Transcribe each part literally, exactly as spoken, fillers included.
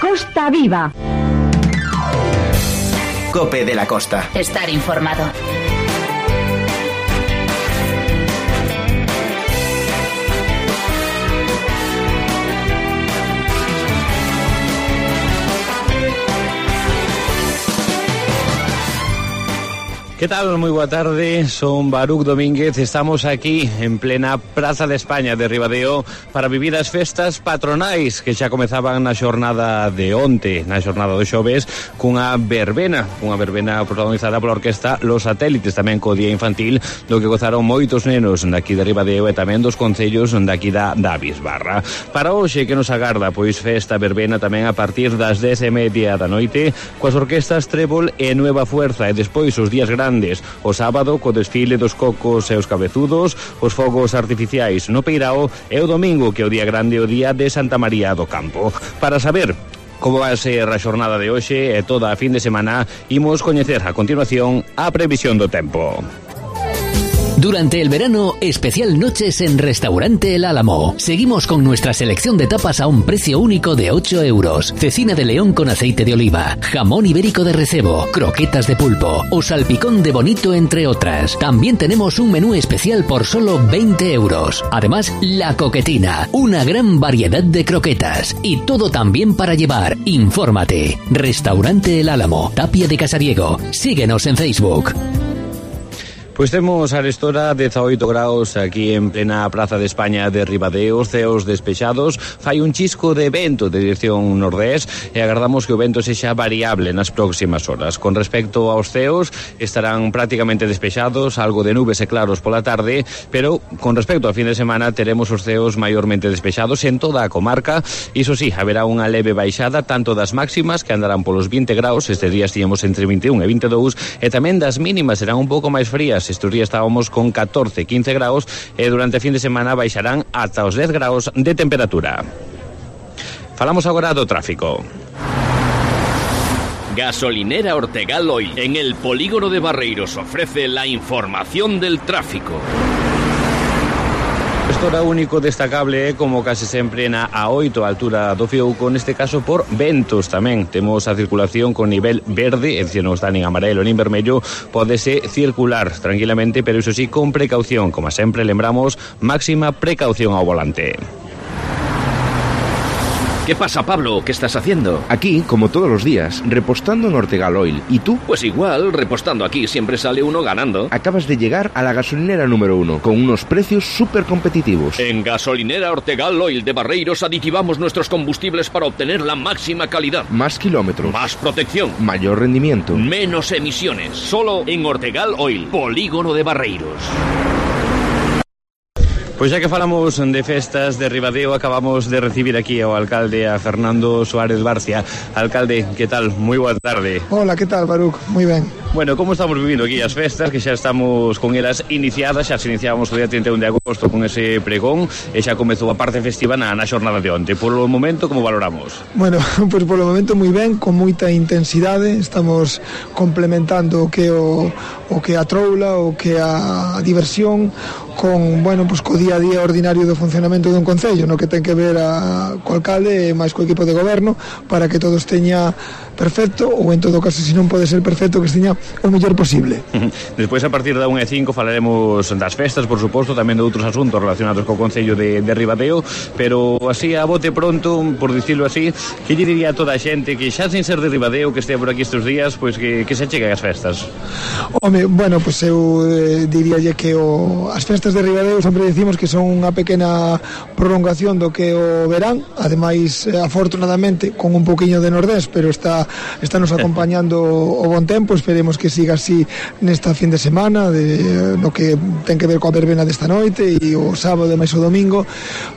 Costa Viva. COPE de la Costa. Estar informado. ¿Qué tal? Muy boa tarde, son Baruch Domínguez, estamos aquí en plena Praza de España de Ribadeo para vivir as festas patronais que xa comezaban na xornada de onte, na xornada do xoves, cunha verbena, unha verbena protagonizada pola orquesta Los Satélites, tamén co día infantil, do que gozaron moitos nenos daqui de Ribadeo e tamén dos concellos daqui da, da Bisbarra. Para hoxe que nos agarda, pois festa verbena tamén a partir das dez e media da noite, coas orquestas Trébol e Nueva Fuerza, e despois os días grandes o sábado co desfile dos cocos e os cabezudos, os fogos artificiais no Peirao e o domingo que é o día grande, o día de Santa María do Campo. Para saber como vai ser a xornada de hoxe e toda a fin de semana, imos coñecer a continuación a previsión do tempo. Durante el verano, especial noches en Restaurante El Álamo. Seguimos con nuestra selección de tapas a un precio único de ocho euros. Cecina de león con aceite de oliva, jamón ibérico de recebo, croquetas de pulpo o salpicón de bonito, entre otras. También tenemos un menú especial por solo veinte euros. Además, la coquetina, una gran variedad de croquetas y todo también para llevar. Infórmate. Restaurante El Álamo, Tapia de Casariego. Síguenos en Facebook. Pois temos a restora dezaoito graus aquí en plena Praza de España de Ribadeo, ceos despexados, fai un chisco de vento de dirección nordés e agardamos que o vento sexa variable nas próximas horas. Con respecto aos ceos, estarán prácticamente despexados, algo de nubes e claros pola tarde, pero con respecto ao fin de semana teremos os ceos maiormente despexados en toda a comarca. Iso sí, haberá unha leve baixada tanto das máximas, que andarán polos vinte graus, estes días tiñamos entre vinte e un e vinte e dous, e tamén das mínimas serán un pouco máis frías. Estes días estábamos con catorce, quince graus e durante a fin de semana baixarán ata os dez graus de temperatura. Falamos agora do tráfico. Gasolinera Ortegal Oil, en el polígono de Barreiros, ofrece la información del tráfico. Gestora único destacable, como case sempre na A oito, a altura do Fiouco, neste caso por ventos tamén. Temos a circulación con nivel verde, é dicir, non está nin amarelo nin vermello, pódese circular tranquilamente, pero iso sí, con precaución. Como sempre, lembramos, máxima precaución ao volante. ¿Qué pasa, Pablo? ¿Qué estás haciendo? Aquí, como todos los días, repostando en Ortegal Oil. ¿Y tú? Pues igual, repostando aquí siempre sale uno ganando. Acabas de llegar a la gasolinera número uno, con unos precios súper competitivos. En Gasolinera Ortegal Oil de Barreiros aditivamos nuestros combustibles para obtener la máxima calidad. Más kilómetros. Más protección. Mayor rendimiento. Menos emisiones. Solo en Ortegal Oil, polígono de Barreiros. Pois xa que falamos de festas de Ribadeo, acabamos de recibir aquí ao alcalde, a Fernando Suárez Barcia. Alcalde, que tal? Moi boa tarde. Hola, que tal, Baruch? Moi ben. Bueno, como estamos vivindo aquí as festas, que xa estamos con elas iniciadas, xa se iniciábamos o día trinta e un de agosto con ese pregón, e xa comezou a parte festiva na, na xornada de onte. Por o momento, como valoramos? Bueno, pois pues polo momento moi ben, con moita intensidade, estamos complementando o que o, o que a troula, o que a diversión, con, bueno, pues co día a día ordinario do funcionamento dun concello, no que ten que ver a, co alcalde e máis co equipo de goberno, para que todos teña perfecto, ou en todo caso, se non pode ser perfecto, que teña o mellor posible. Despois, a partir da unha e cinco, falaremos das festas, por suposto, tamén de outros asuntos relacionados co concello de, de Ribadeo, pero así, a bote pronto, por dicirlo así, que lle diría a toda a xente que xa sin ser de Ribadeo, que estea por aquí estes días, pois que, que se chegue as festas? Home, bueno, pois pues eu eh, diríalle que o, as festas de Ribadeo sempre decimos que son unha pequena prolongación do que o verán, ademais, afortunadamente, con un poquinho de nordés, pero está, está nos acompañando o bon tempo. Esperemos que siga así nesta fin de semana, de, no que ten que ver coa verbena desta noite e o sábado e máis o domingo,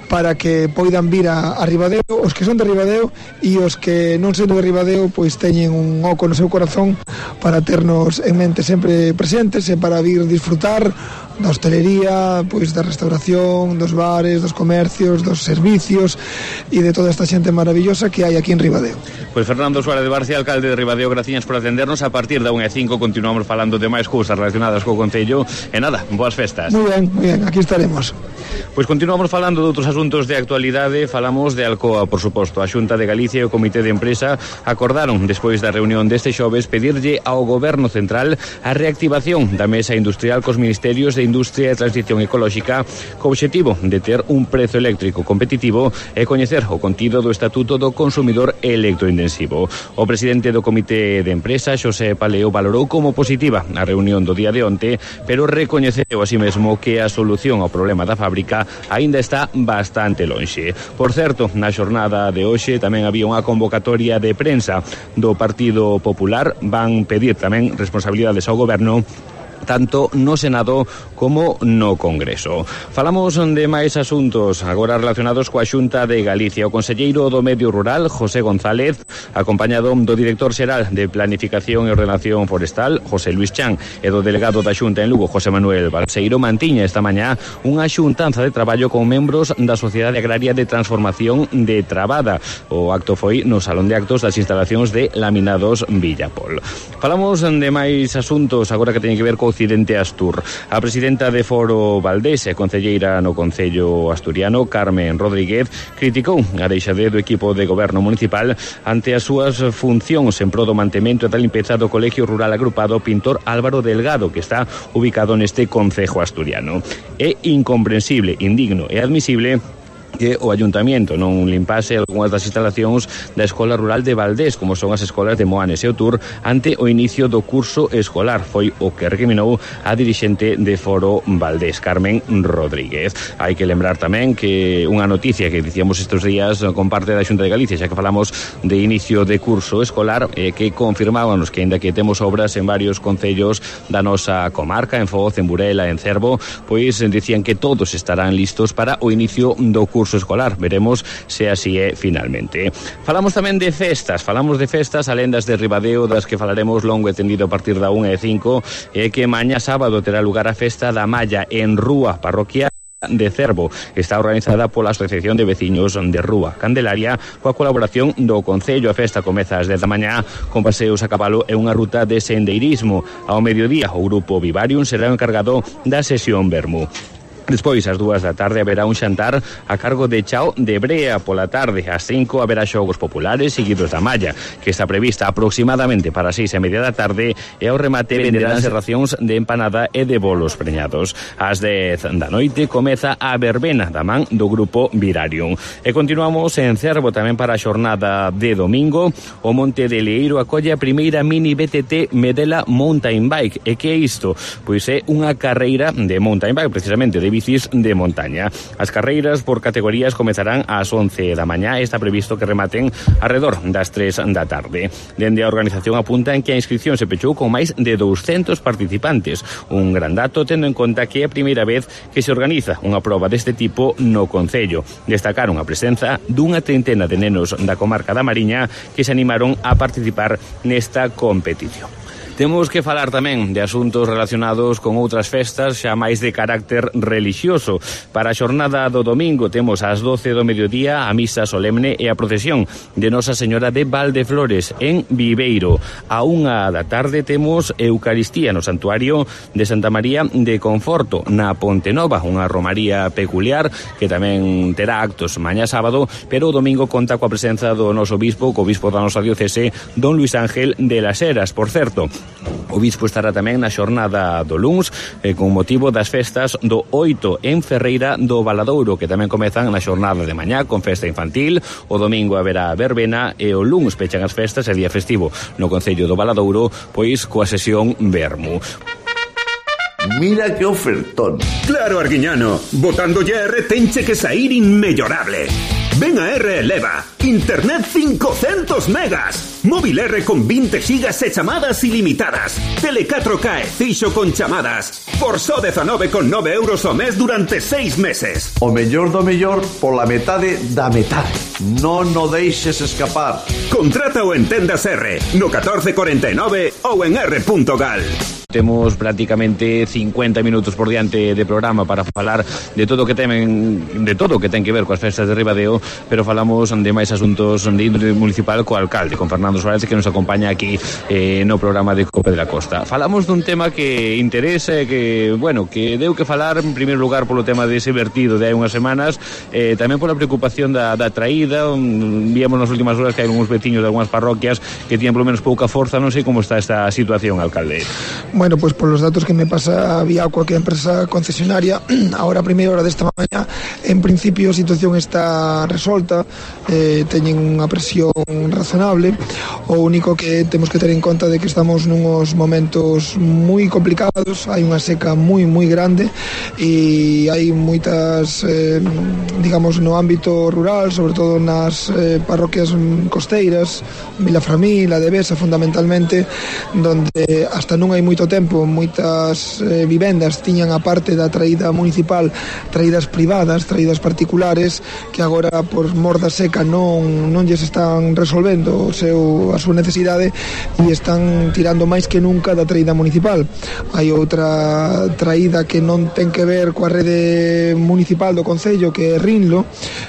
para que poidan vir a, a Ribadeo, os que son de Ribadeo, e os que non son de Ribadeo, pois teñen un oco no seu corazón para ternos en mente sempre presentes e para vir disfrutar da hostelería, pois da restauración, dos bares, dos comercios, dos servicios e de toda esta xente maravillosa que hai aquí en Ribadeo. Pois Fernando Suárez de Barcia, alcalde de Ribadeo, graciñas por atendernos. A partir da unha e cinco continuamos falando de máis cousas relacionadas co Concello. E nada, boas festas. Moi ben, moi ben, aquí estaremos. Pois continuamos falando de outros asuntos de actualidade. Falamos de Alcoa, por suposto. A Xunta de Galicia e o Comité de Empresa acordaron, despois da reunión deste xoves, pedirlle ao Goberno Central a reactivación da Mesa Industrial cos Ministerios de Industria e Transición Ecolóxica co obxectivo de ter un prezo eléctrico competitivo e coñecer o contido do Estatuto do Consumidor Electrointensivo. O presidente do Comité de Empresa, Xosé Paleo, valorou como positiva a reunión do día de onte, pero recoñeceu así mesmo que a solución ao problema da fábrica aínda está bastante lonxe. Por certo, na xornada de hoxe tamén había unha convocatoria de prensa do Partido Popular. Van pedir tamén responsabilidades ao Goberno tanto no Senado como no Congreso. Falamos de máis asuntos agora relacionados coa Xunta de Galicia. O conselleiro do Medio Rural, José González, acompañado do director xeral de Planificación e Ordenación Forestal, José Luis Chan, e do delegado da Xunta en Lugo, José Manuel Balseiro, mantiña esta mañá unha xuntanza de traballo con membros da Sociedade Agraria de Transformación de Trabada. O acto foi no Salón de Actos das instalacións de Laminados Villapol. Falamos de máis asuntos agora que teñen que ver co Occidente Astur. A presidenta de Foro Valdés e concelleira no Concello Asturiano, Carmen Rodríguez, criticou a deixadez do equipo de goberno municipal ante as súas funcións en pro do mantemento e da limpeza do Colegio Rural Agrupado Pintor Álvaro Delgado, que está ubicado neste concejo asturiano. É incomprensible, indigno e admisible que o Ayuntamiento non limpase algunhas das instalacións da Escola Rural de Valdés, como son as escolas de Moanes e Outur, ante o inicio do curso escolar. Foi o que recriminou a dirixente de Foro Valdés, Carmen Rodríguez. Hai que lembrar tamén que unha noticia que dicíamos estes días con parte da Xunta de Galicia, xa que falamos de inicio de curso escolar, eh, que confirmábamos que, ainda que temos obras en varios concellos da nosa comarca, en Foz, en Burela, en Cervo, pois dicían que todos estarán listos para o inicio do curso escolar. Veremos se así é finalmente. Falamos tamén de festas, falamos de festas, alendas de Ribadeo, das que falaremos longo e tendido a partir da unha e cinco, e que mañá sábado terá lugar a festa da Malla en Rúa Parroquial de Cervo. Está organizada pola Asociación de Veciños de Rúa Candelaria coa colaboración do Concello. A festa comeza ás dez da mañá con paseos a cabalo e unha ruta de sendeirismo. Ao mediodía o grupo Vivarium será o encargado da sesión Vermú. Despois, ás dúas da tarde, haberá un xantar a cargo de Chao de Brea. Pola tarde, ás cinco, haberá xogos populares seguidos da Malla, que está prevista aproximadamente para as seis e media da tarde, e ao remate venderánse racións de empanada e de bolos preñados. Ás dez da noite comeza a verbena da man do grupo Virarium. E continuamos en Cervo tamén para a xornada de domingo. O Monte de Leiro acolle a primeira mini B T T Medela Mountain Bike. E que é isto? Pois é unha carreira de mountain bike, precisamente de bicis de montaña. As carreiras por categorías comezarán ás once da mañá e está previsto que rematen alrededor das tres da tarde. Dende a organización apuntan que a inscripción se pechou con máis de douscentos participantes. Un gran dato tendo en conta que é a primeira vez que se organiza unha proba deste tipo no Concello. Destacaron a presenza dunha treintena de nenos da comarca da Mariña que se animaron a participar nesta competición. Temos que falar tamén de asuntos relacionados con outras festas xa máis de carácter relixioso. Para a xornada do domingo temos ás doce do mediodía a misa solemne e a procesión de Nosa Señora de Valdeflores en Viveiro. A unha da tarde temos Eucaristía no Santuario de Santa María de Conforto na Ponte Nova, unha romaría peculiar que tamén terá actos mañá sábado, pero o domingo conta coa presenza do noso bispo, co bispo da nosa diocese, don Luis Ángel de las Heras. Por certo, o bispo estará tamén na xornada do luns eh, con motivo das festas do oito en Ferreira do Valadouro, que tamén comezan na xornada de mañá con festa infantil. O domingo haberá verbena e o luns pechan as festas e día festivo no Concello do Valadouro, pois coa sesión Vermú. Mira que ofertón. Claro, Arguiñano, botando ya R tenche que sair inmellorable. Ven a R Eleva, internet cincocentos megas, móvil R con veinte gigas e chamadas ilimitadas, tele catro K e fixo con chamadas, por só dezanove con nove euros ao mes durante seis meses. O mellor do mellor pola metade da metade. Non o deixes escapar. Contrata o en Tendas R, no catorce cuarenta e nove ou en r punto gal. temos prácticamente cincuenta minutos por diante de programa para falar de todo o que temen, de todo o que ten que ver coas festas de Ribadeo, pero falamos de máis asuntos de índole municipal co alcalde, con Fernando Suárez, que nos acompaña aquí eh, no programa de Cope de la Costa. Falamos dun tema que interesa e que, bueno, que deu que falar en primeiro lugar polo tema dese vertido de hai unhas semanas, eh, tamén pola preocupación da, da traída. Víamos nas últimas horas que hai uns veciños de algunhas parroquias que tiñan polo menos pouca forza. Non sei como está esta situación, alcalde. Bueno, pues por los datos que me pasa vía cualquier empresa concesionaria, ahora a primeira hora desta mañá, en principio a situación está resolta, eh, teñen unha presión razonable. O único que temos que ter en conta de que estamos nunos momentos moi complicados, hai unha seca moi moi grande e hai moitas, eh, digamos, no ámbito rural, sobre todo nas eh, parroquias costeiras, Vilaframil, a Devesa fundamentalmente, donde hasta non hai moito tempo moitas eh, vivendas tiñan a parte da traída municipal traídas privadas, traídas particulares, que agora por mor da seca non, non lles están resolvendo o seu, a súa necesidade e están tirando máis que nunca da traída municipal. Hai outra traída que non ten que ver coa rede municipal do concello, que é Rinlo,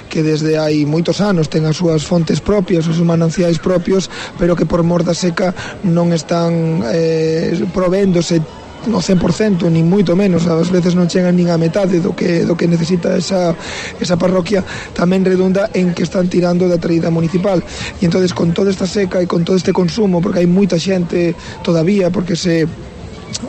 que desde hai moitos anos ten as súas fontes propias, os seus mananciais propios, pero que por mor da seca non están eh, provéndose no cen por cento, ni moito menos, ás veces non chegan nin a metade do que, do que necesita esa, esa parroquia. Tamén redunda en que están tirando da traída municipal, e entonces con toda esta seca e con todo este consumo, porque hai moita xente todavía, porque se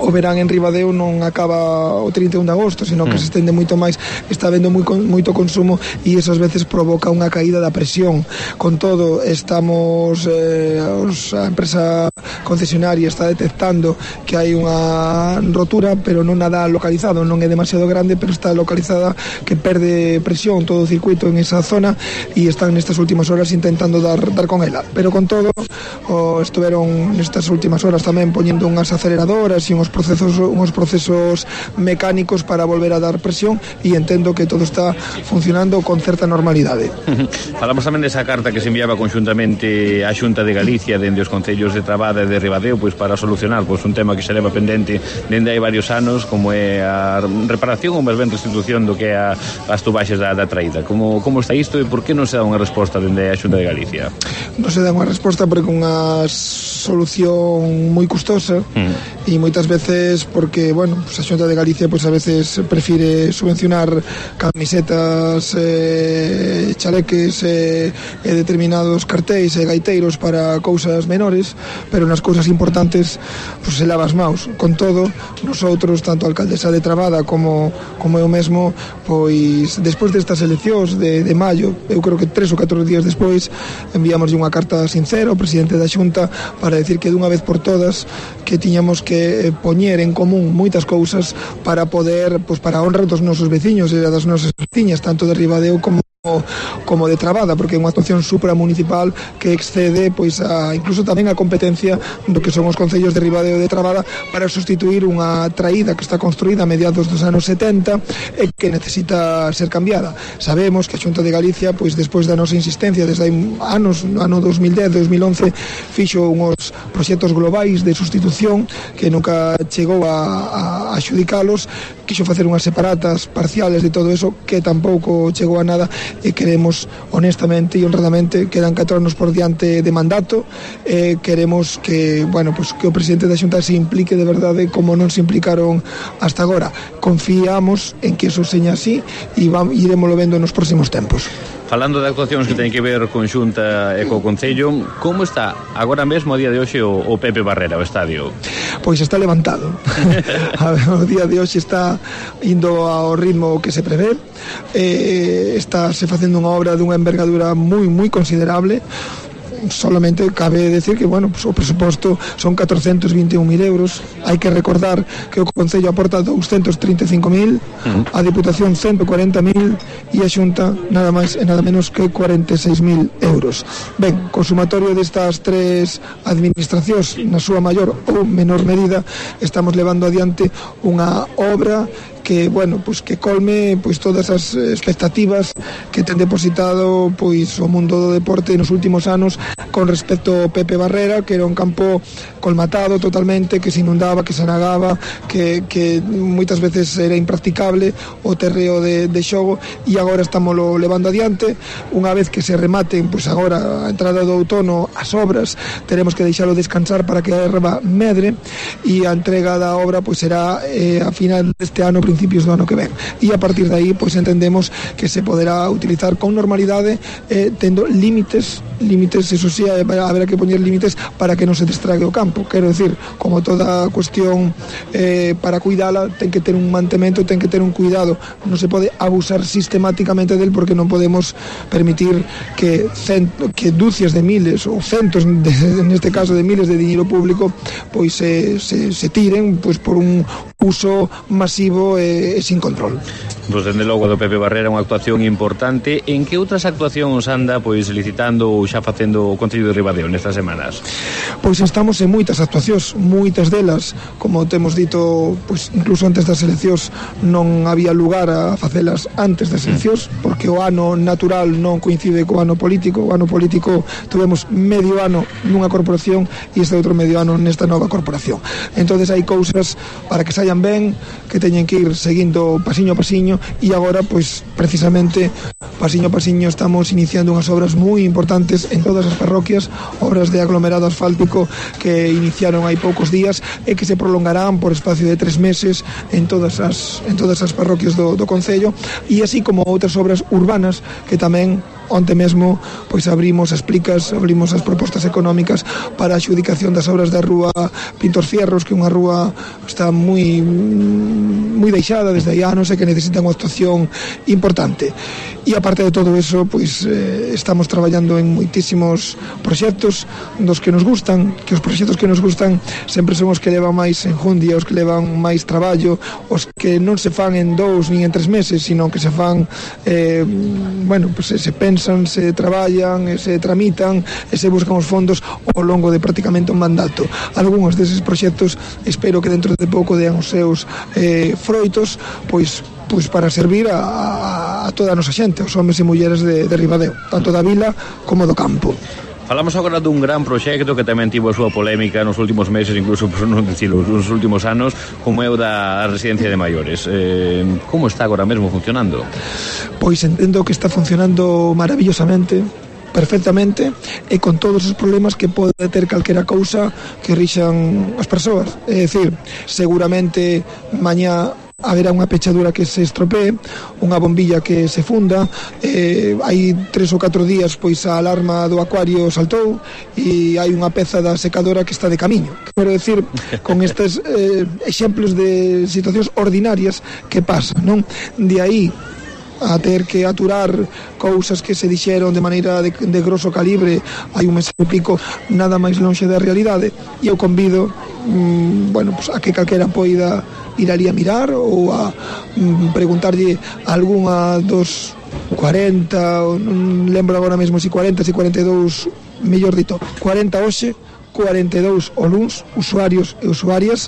o verán en Ribadeo non acaba o trinta e un de agosto, sino que mm. se estende moito máis, está habendo moi, moito consumo e eso ás veces provoca unha caída da presión. Con todo, estamos eh, os, a empresa concesionaria está detectando que hai unha rotura, pero non nada localizado, non é demasiado grande, pero está localizada, que perde presión todo o circuito en esa zona e están nestas últimas horas intentando dar, dar con ela. Pero con todo, o estuveron nestas últimas horas tamén poñendo unhas aceleradoras e unhos procesos, unhos procesos mecánicos para volver a dar presión, e entendo que todo está funcionando con certa normalidade. Falamos tamén desa carta que se enviaba conjuntamente á Xunta de Galicia dende os concellos de Trabada e de Ribadeo, pois para solucionar pois un tema que se leva pendente dende hai varios anos, como é a reparación ou máis ben restitución do que é a, as tubaxes da, da traída. Como, como está isto e por que non se dá unha resposta dende a Xunta de Galicia? Non se dá unha resposta porque unha solución moi custosa mm. e moitas veces porque, bueno, pues a Xunta de Galicia pues a veces prefire subvencionar camisetas, eh, chaleques e eh, determinados cartéis e gaiteiros para cousas menores, pero nas cousas importantes pues se lava as maus. Con todo, nosotros, tanto a alcaldesa de Trabada como, como eu mesmo, pois despois destas eleccións de, de maio, eu creo que tres ou catro días despois, enviamos unha carta sincera ao presidente da Xunta para decir que dunha vez por todas que tiñamos que poñer en común moitas cousas para poder, pois para a honra dos nosos veciños e das nosas veciñas, tanto de Ribadeo como como de Trabada, porque é unha actuación supramunicipal que excede pois a, incluso tamén a competencia do que son os concellos de Ribadeo e de Trabada para sustituir unha traída que está construída a mediados dos anos setenta e que necesita ser cambiada. Sabemos que a Xunta de Galicia, pois despois da nosa insistencia desde hai anos, no ano dos mil dez, dos mil once, fixo unhos proxectos globais de sustitución que nunca chegou a, a, a xudicalos, quixo facer unhas separatas parciales de todo eso que tampouco chegou a nada, e queremos honestamente e honradamente, quedan catro anos por diante de mandato, e queremos que, bueno, pues que o presidente da Xunta se implique de verdade como non se implicaron hasta agora. Confiamos en que eso seña así e vamos, iremoslo vendo nos próximos tempos. Falando de actuacións que teñen que ver con Xunta e co Concello, como está agora mesmo a día de hoxe o, o Pepe Barrera, o estadio? Pois está levantado. O día de hoxe está indo ao ritmo que se prevé, eh, está se facendo unha obra dunha envergadura moi moi considerable. Solamente cabe decir que, bueno, pues o presuposto son catrocentos vinte e un mil euros. Hai que recordar que o Concello aporta doscientos trinta e cinco mil, uh-huh. a Diputación ciento cuarenta mil e a Xunta nada máis e nada menos que cuarenta e seis mil euros. Ben, consumatorio destas tres administracións, na súa maior ou menor medida, estamos levando adiante unha obra que, bueno, pues que colme pois todas as expectativas que ten depositado pois o mundo do deporte nos últimos anos con respecto ao Pepe Barrera, que era un campo colmatado totalmente, que se inundaba, que se anagaba, que, que moitas veces era impracticable o terreo de, de xogo, e agora estamos lo levando adiante. Unha vez que se rematen, pois agora a entrada do outono, as obras, teremos que deixalo descansar para que a erva medre, e a entrega da obra pois será eh, a final deste ano, principios do ano que ven, e a partir de aí pois entendemos que se poderá utilizar con normalidade, eh, tendo límites límites, eso sí, habrá que poñer límites para que non se destrague o campo. Quero decir, como toda cuestión eh, para cuidala, ten que ter un mantemento, ten que ter un cuidado, non se pode abusar sistemáticamente del, porque non podemos permitir que cent, que ducias de miles ou centos, de, neste caso de miles de dinero público, pois se, se, se tiren pois por un uso masivo e, e sin control. Pois dende logo do Pepe Barrera unha actuación importante. En que outras actuacións anda pois licitando ou xa facendo o Concello de Ribadeo nestas semanas? Pois estamos en moitas actuacións, moitas delas, como temos dito, pois incluso antes das eleccións non había lugar a facelas antes das eleccións, porque o ano natural non coincide co ano político. O ano político tuvemos medio ano nunha corporación e este outro medio ano nesta nova corporación. Entonces hai cousas para que saian ben, que teñen que ir seguindo pasiño a pasiño, e agora, pois, precisamente, pasiño a pasiño estamos iniciando unhas obras moi importantes en todas as parroquias, obras de aglomerado asfáltico que iniciaron hai poucos días e que se prolongarán por espacio de tres meses en todas as, en todas as parroquias do, do Concello, e así como outras obras urbanas que tamén onte mesmo pois abrimos as plicas, abrimos as propostas económicas para a adxudicación das obras da rúa Pintor Fierros, que é unha rúa está moi moi deixada desde hai anos e que necesita unha actuación importante. E aparte de todo eso, pois eh, estamos traballando en moitísimos proxectos dos que nos gustan, que os proxectos que nos gustan sempre son os que levan máis enjundia, os que levan máis traballo, os que non se fan en dous nin en tres meses, sino que se fan eh, bueno, pois se pensan, se traballan, se tramitan e se buscan os fondos ao longo de prácticamente un mandato. Algúns deses proxectos espero que dentro de pouco dean os seus eh, froitos, pois pois para servir a, a toda a nosa xente, os homes e mulleres de, de Ribadeo, tanto da vila como do campo. Falamos agora dun gran proxecto que tamén tivo a súa polémica nos últimos meses, incluso por non dicilo, nos últimos anos, como é o da residencia de maiores. Eh, como está agora mesmo funcionando? Pois entendo que está funcionando maravillosamente, perfectamente, e con todos os problemas que pode ter calquera cousa que rixan as persoas. É dicir, seguramente mañá haberá unha pechadura que se estropee, unha bombilla que se funda, eh, hai tres ou catro días pois a alarma do acuario saltou e hai unha peza da secadora que está de camiño. Quero decir, con estes eh, exemplos de situacións ordinarias que pasan, non? De aí a ter que aturar cousas que se dixeron de maneira de, de grosso calibre hai un mes e pico, nada máis lonxe da realidade, e eu convido mm, bueno, pues a que calquera poida ir ali a mirar ou a mm, preguntarlle a algunha dos cuarenta, non lembro agora mesmo se cuarenta, se cuarenta e dous, mellor dito, cuarenta hoxe, cuarenta e dous o luns, usuarios e usuarias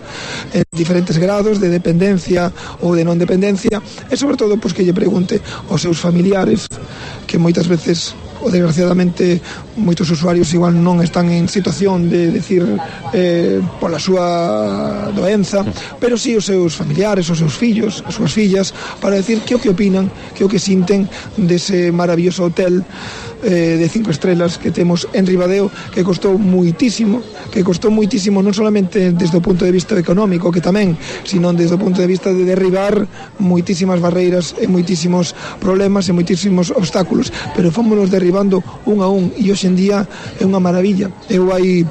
en diferentes grados de dependencia ou de non dependencia, e sobre todo pois, que lle pregunte aos seus familiares, que moitas veces o desgraciadamente moitos usuarios igual non están en situación de decir eh, pola súa doenza, pero si sí os seus familiares, os seus fillos, as súas fillas, para decir que o que opinan, que o que sinten dese maravilloso hotel eh, de cinco estrelas que temos en Ribadeo, que costou muitísimo, que costou muitísimo non solamente desde o punto de vista económico, que tamén, sino desde o punto de vista de derribar moitísimas barreiras e moitísimos problemas e moitísimos obstáculos, pero fomos derribando un a un, e hoxe en día é unha maravilla. Eu hai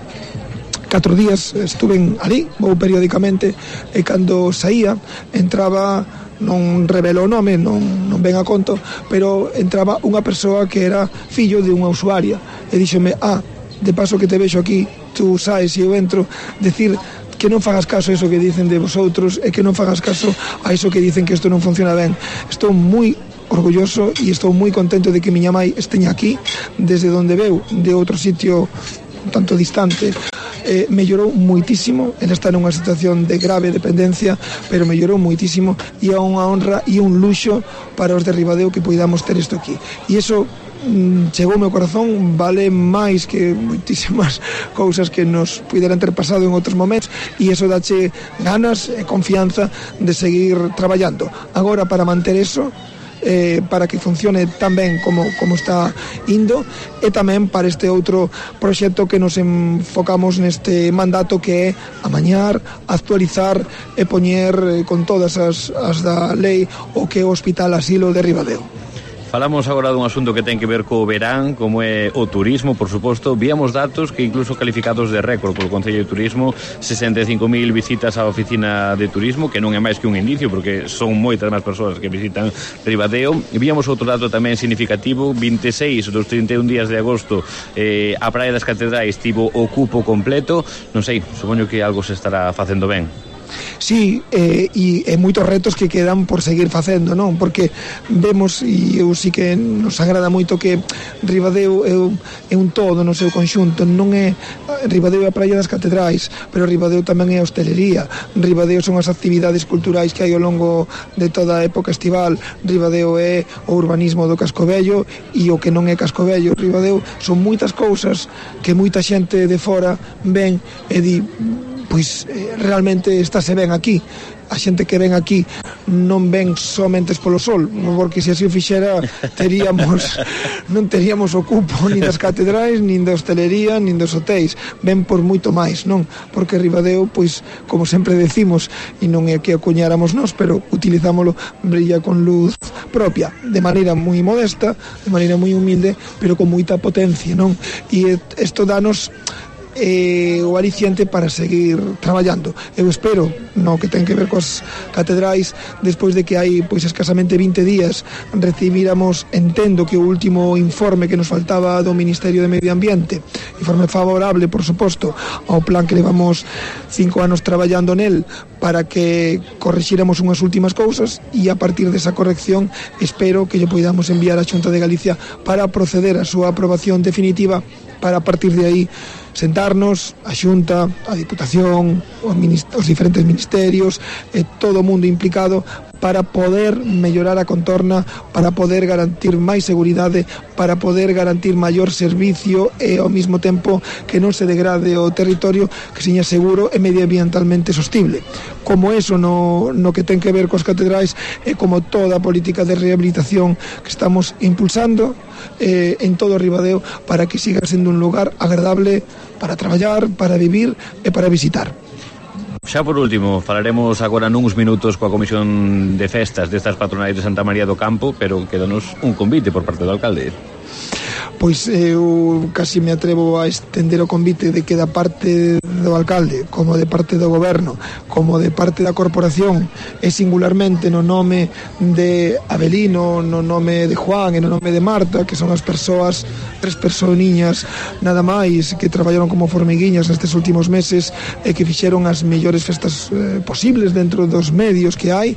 catro días estuve ali, vou periódicamente, e cando saía entraba, non revelo o nome, non, non ven a conto, pero entraba unha persoa que era fillo de unha usuaria e díxome, ah, de paso que te vexo aquí, tú saes e eu entro, decir que non fagas caso a eso que dicen de vosotros e que non fagas caso a eso que dicen que isto non funciona ben. Estou moi orgulloso e estou moi contento de que miña mai esteña aquí desde onde veu, de outro sitio un tanto distante, eh, mellorou moitísimo. Ele está nunha situación de grave dependencia, pero mellorou moitísimo, e é unha honra e un luxo para os de Ribadeo que poidamos ter isto aquí. E iso chegou ao meu corazón, vale máis que moitísimas cousas que nos puderan ter pasado en outros momentos, e iso dache ganas e confianza de seguir traballando. Agora, para manter eso, eh, para que funcione tan ben como, como está indo, e tamén para este outro proxecto que nos enfocamos neste mandato, que é amañar, actualizar e poñer eh, con todas as, as da lei o que é o Hospital Asilo de Ribadeo. Falamos agora dun asunto que ten que ver co verán, como é o turismo, por suposto. Víamos datos que incluso calificados de récord polo Concello de Turismo, sesenta e cinco mil visitas á oficina de turismo, que non é máis que un indicio, porque son moitas máis persoas que visitan Ribadeo. E víamos outro dato tamén significativo, vinte e seis dos trinta e un días de agosto, eh, a Praia das Catedrais tivo o cupo completo. Non sei, supoño que algo se estará facendo ben. Sí, eh, e, e moitos retos que quedan por seguir facendo, non? Porque vemos, e eu sí que nos agrada moito, que Ribadeo é, é un todo no seu conxunto. Non é Ribadeo é a Praia das Catedrais, pero Ribadeo tamén é a hostelería. Ribadeo son as actividades culturais que hai ao longo de toda a época estival. Ribadeo é o urbanismo do Cascovello, e o que non é Cascovello. Ribadeo son moitas cousas que moita xente de fora ven e di, pois eh, realmente estáse ben aquí. A xente que ven aquí non ven somente polo sol, porque se así o fixera teríamos non teríamos o cupo nin das catedrais, nin da hostelería, nin dos hotéis. Ven por moito máis, non? Porque Ribadeo, pois, como sempre decimos, e non é que acuñáramos nós, pero utilizámolo, brilla con luz propia, de maneira moi modesta, de maneira moi humilde, pero con moita potencia, non? E isto danos eh, o aliciente para seguir traballando. Eu espero, no que ten que ver coas catedrais, despois de que hai pois escasamente vinte días recibíramos, entendo que o último informe que nos faltaba do Ministerio de Medio Ambiente, informe favorable, por suposto, ao plan que levamos cinco anos traballando nel, para que corrixíramos unhas últimas cousas, e a partir desa corrección espero que lle poidamos enviar á Xunta de Galicia para proceder á súa aprobación definitiva, para a partir de aí sentarnos, a Xunta, a Diputación, os diferentes ministerios, e todo o mundo implicado, para poder mellorar a contorna, para poder garantir máis seguridade, para poder garantir maior servicio e ao mesmo tempo que non se degrade o territorio, que seña seguro e medioambientalmente sostible. Como eso no, no que ten que ver coas catedrais, e como toda a política de rehabilitación que estamos impulsando eh, en todo o Ribadeo, para que siga sendo un lugar agradable para traballar, para vivir e para visitar. Xa por último, falaremos agora nuns minutos coa Comisión de Festas destas patronais de Santa María do Campo, pero quedanos un convite por parte do alcalde. Pois eu casi me atrevo a estender o convite de que da parte do alcalde, como de parte do goberno, como de parte da corporación, e singularmente no nome de Abelino, no nome de Juan e no nome de Marta, que son as persoas, tres personiñas nada máis, que traballaron como formiguiñas nestes últimos meses e que fixeron as mellores festas eh, posibles dentro dos medios que hai.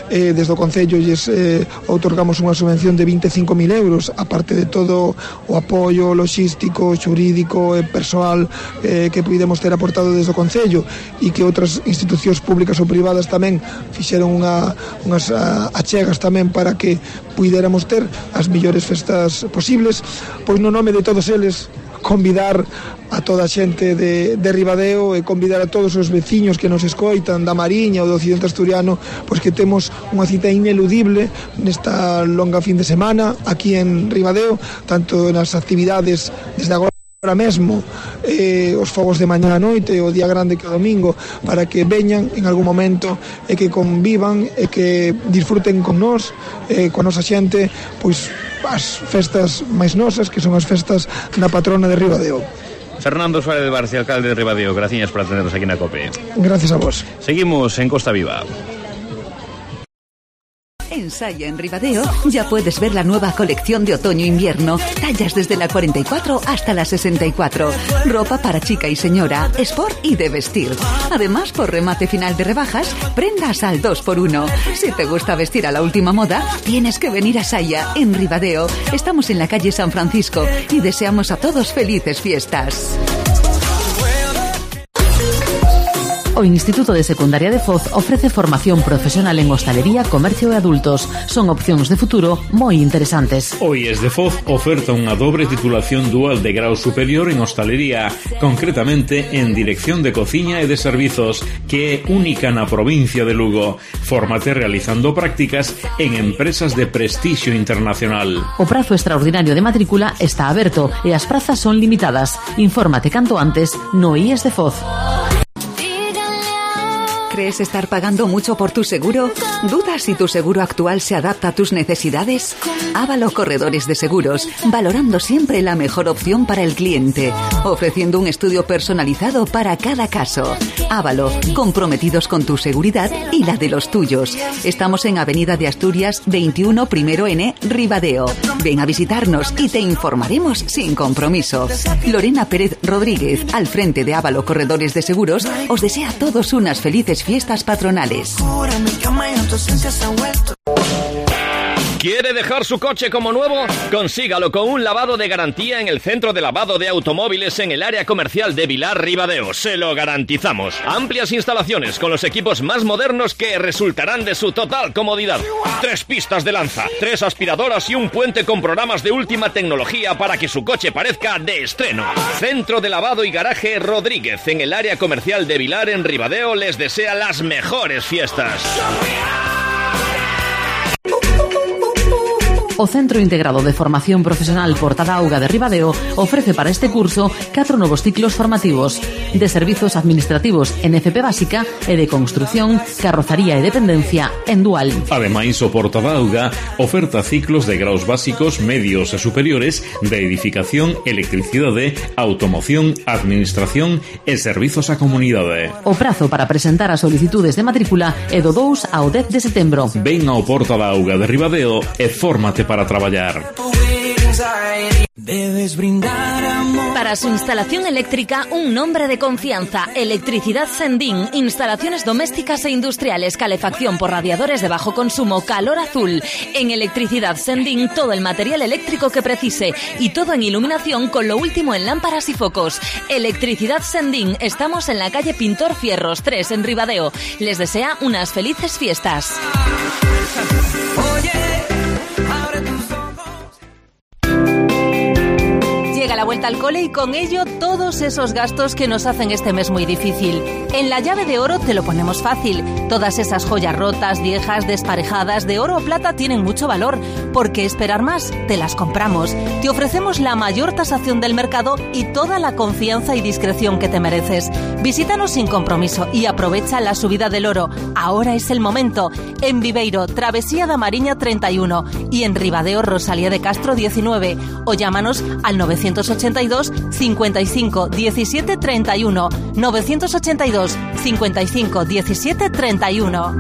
Eh, desde o Concello lles eh, outorgamos unha subvención de vinte e cinco mil euros, aparte de todo o apoio logístico, xurídico e persoal eh, que pudemos ter aportado desde o Concello, e que outras institucións públicas ou privadas tamén fixeron unha, unhas a, achegas tamén para que puidéramos ter as mellores festas posibles. Pois no nome de todos eles, convidar a toda a xente de, de Ribadeo, e convidar a todos os veciños que nos escoitan da Mariña ou do Occidente Asturiano, pois que temos unha cita ineludible nesta longa fin de semana aquí en Ribadeo, tanto nas actividades desde agora Ahora mesmo eh, os fogos de mañá a noite, o día grande que o domingo, para que veñan en algún momento e que convivan e que disfruten con nós, eh, con a nosa xente, pois as festas máis nosas, que son as festas da patrona de Ribadeo. Fernando Suárez de Barci, alcalde de Ribadeo, gracias por atendernos aquí na COPE. Gracias a vos. Seguimos en Costa Viva. En Saya, en Ribadeo, ya puedes ver la nueva colección de otoño-invierno. Tallas desde la cuarenta y cuatro hasta la sesenta y cuatro. Ropa para chica y señora, sport y de vestir. Además, por remate final de rebajas, prendas al dos por uno. Si te gusta vestir a la última moda, tienes que venir a Saya, en Ribadeo. Estamos en la calle San Francisco y deseamos a todos felices fiestas. O Instituto de Secundaria de Foz ofrece formación profesional en hostalería, comercio e adultos. Son opcións de futuro moi interesantes. O I E S de Foz oferta unha dobre titulación dual de grau superior en hostalería, concretamente en dirección de cociña e de servizos, que é única na provincia de Lugo. Fórmate realizando prácticas en empresas de prestixio internacional. O prazo extraordinario de matrícula está aberto e as prazas son limitadas. Infórmate canto antes no I E S de Foz. ¿Crees estar pagando mucho por tu seguro? ¿Dudas si tu seguro actual se adapta a tus necesidades? Ávalo Corredores de Seguros, valorando siempre la mejor opción para el cliente, ofreciendo un estudio personalizado para cada caso. Ávalo, comprometidos con tu seguridad y la de los tuyos. Estamos en Avenida de Asturias veintiuno, primero N, Ribadeo. Ven a visitarnos y te informaremos sin compromiso. Lorena Pérez Rodríguez, al frente de Ávalo Corredores de Seguros, os desea a todos unas felices fiestas patronales. ¿Quiere dejar su coche como nuevo? Consígalo con un lavado de garantía en el Centro de Lavado de Automóviles en el área comercial de Vilar Ribadeo. Se lo garantizamos. Amplias instalaciones con los equipos más modernos que resultarán de su total comodidad. Tres pistas de lanza, tres aspiradoras y un puente con programas de última tecnología para que su coche parezca de estreno. Centro de Lavado y Garaje Rodríguez en el área comercial de Vilar en Ribadeo les desea las mejores fiestas. O Centro Integrado de Formación Profesional Portada Auga de Ribadeo ofrece para este curso catro novos ciclos formativos de servizos administrativos en F P básica e de construción, carrozaría e dependencia en dual. Ademais, o Portada Auga oferta ciclos de graos básicos, medios e superiores de edificación, electricidade, automoción, administración e servizos á comunidade. O prazo para presentar as solicitudes de matrícula é do dous ao dez de setembro. Ven ao Portada Auga de Ribadeo e fórmate para traballar. Debes brindar amor. Para su instalación eléctrica, un nombre de confianza. Electricidad Sendín. Instalaciones domésticas e industriales. Calefacción por radiadores de bajo consumo. Calor azul. En Electricidad Sendín, todo el material eléctrico que precise. Y todo en iluminación con lo último en lámparas y focos. Electricidad Sendín. Estamos en la calle Pintor Fierros tres en Ribadeo. Les desea unas felices fiestas. Llega la vuelta al cole y con ello todos esos gastos que nos hacen este mes muy difícil. En la llave de oro te lo ponemos fácil. Todas esas joyas rotas, viejas, desparejadas, de oro o plata tienen mucho valor. ¿Por qué esperar más? Te las compramos. Te ofrecemos la mayor tasación del mercado y toda la confianza y discreción que te mereces. Visítanos sin compromiso y aprovecha la subida del oro. Ahora es el momento. En Viveiro, Travesía da Mariña treinta y uno y en Ribadeo, Rosalía de Castro diecinueve. O llámanos al novecientos ochenta y dos, cincuenta y cinco, diecisiete, treinta y uno. novecientos ochenta y dos, cincuenta y cinco, diecisiete, treinta y uno.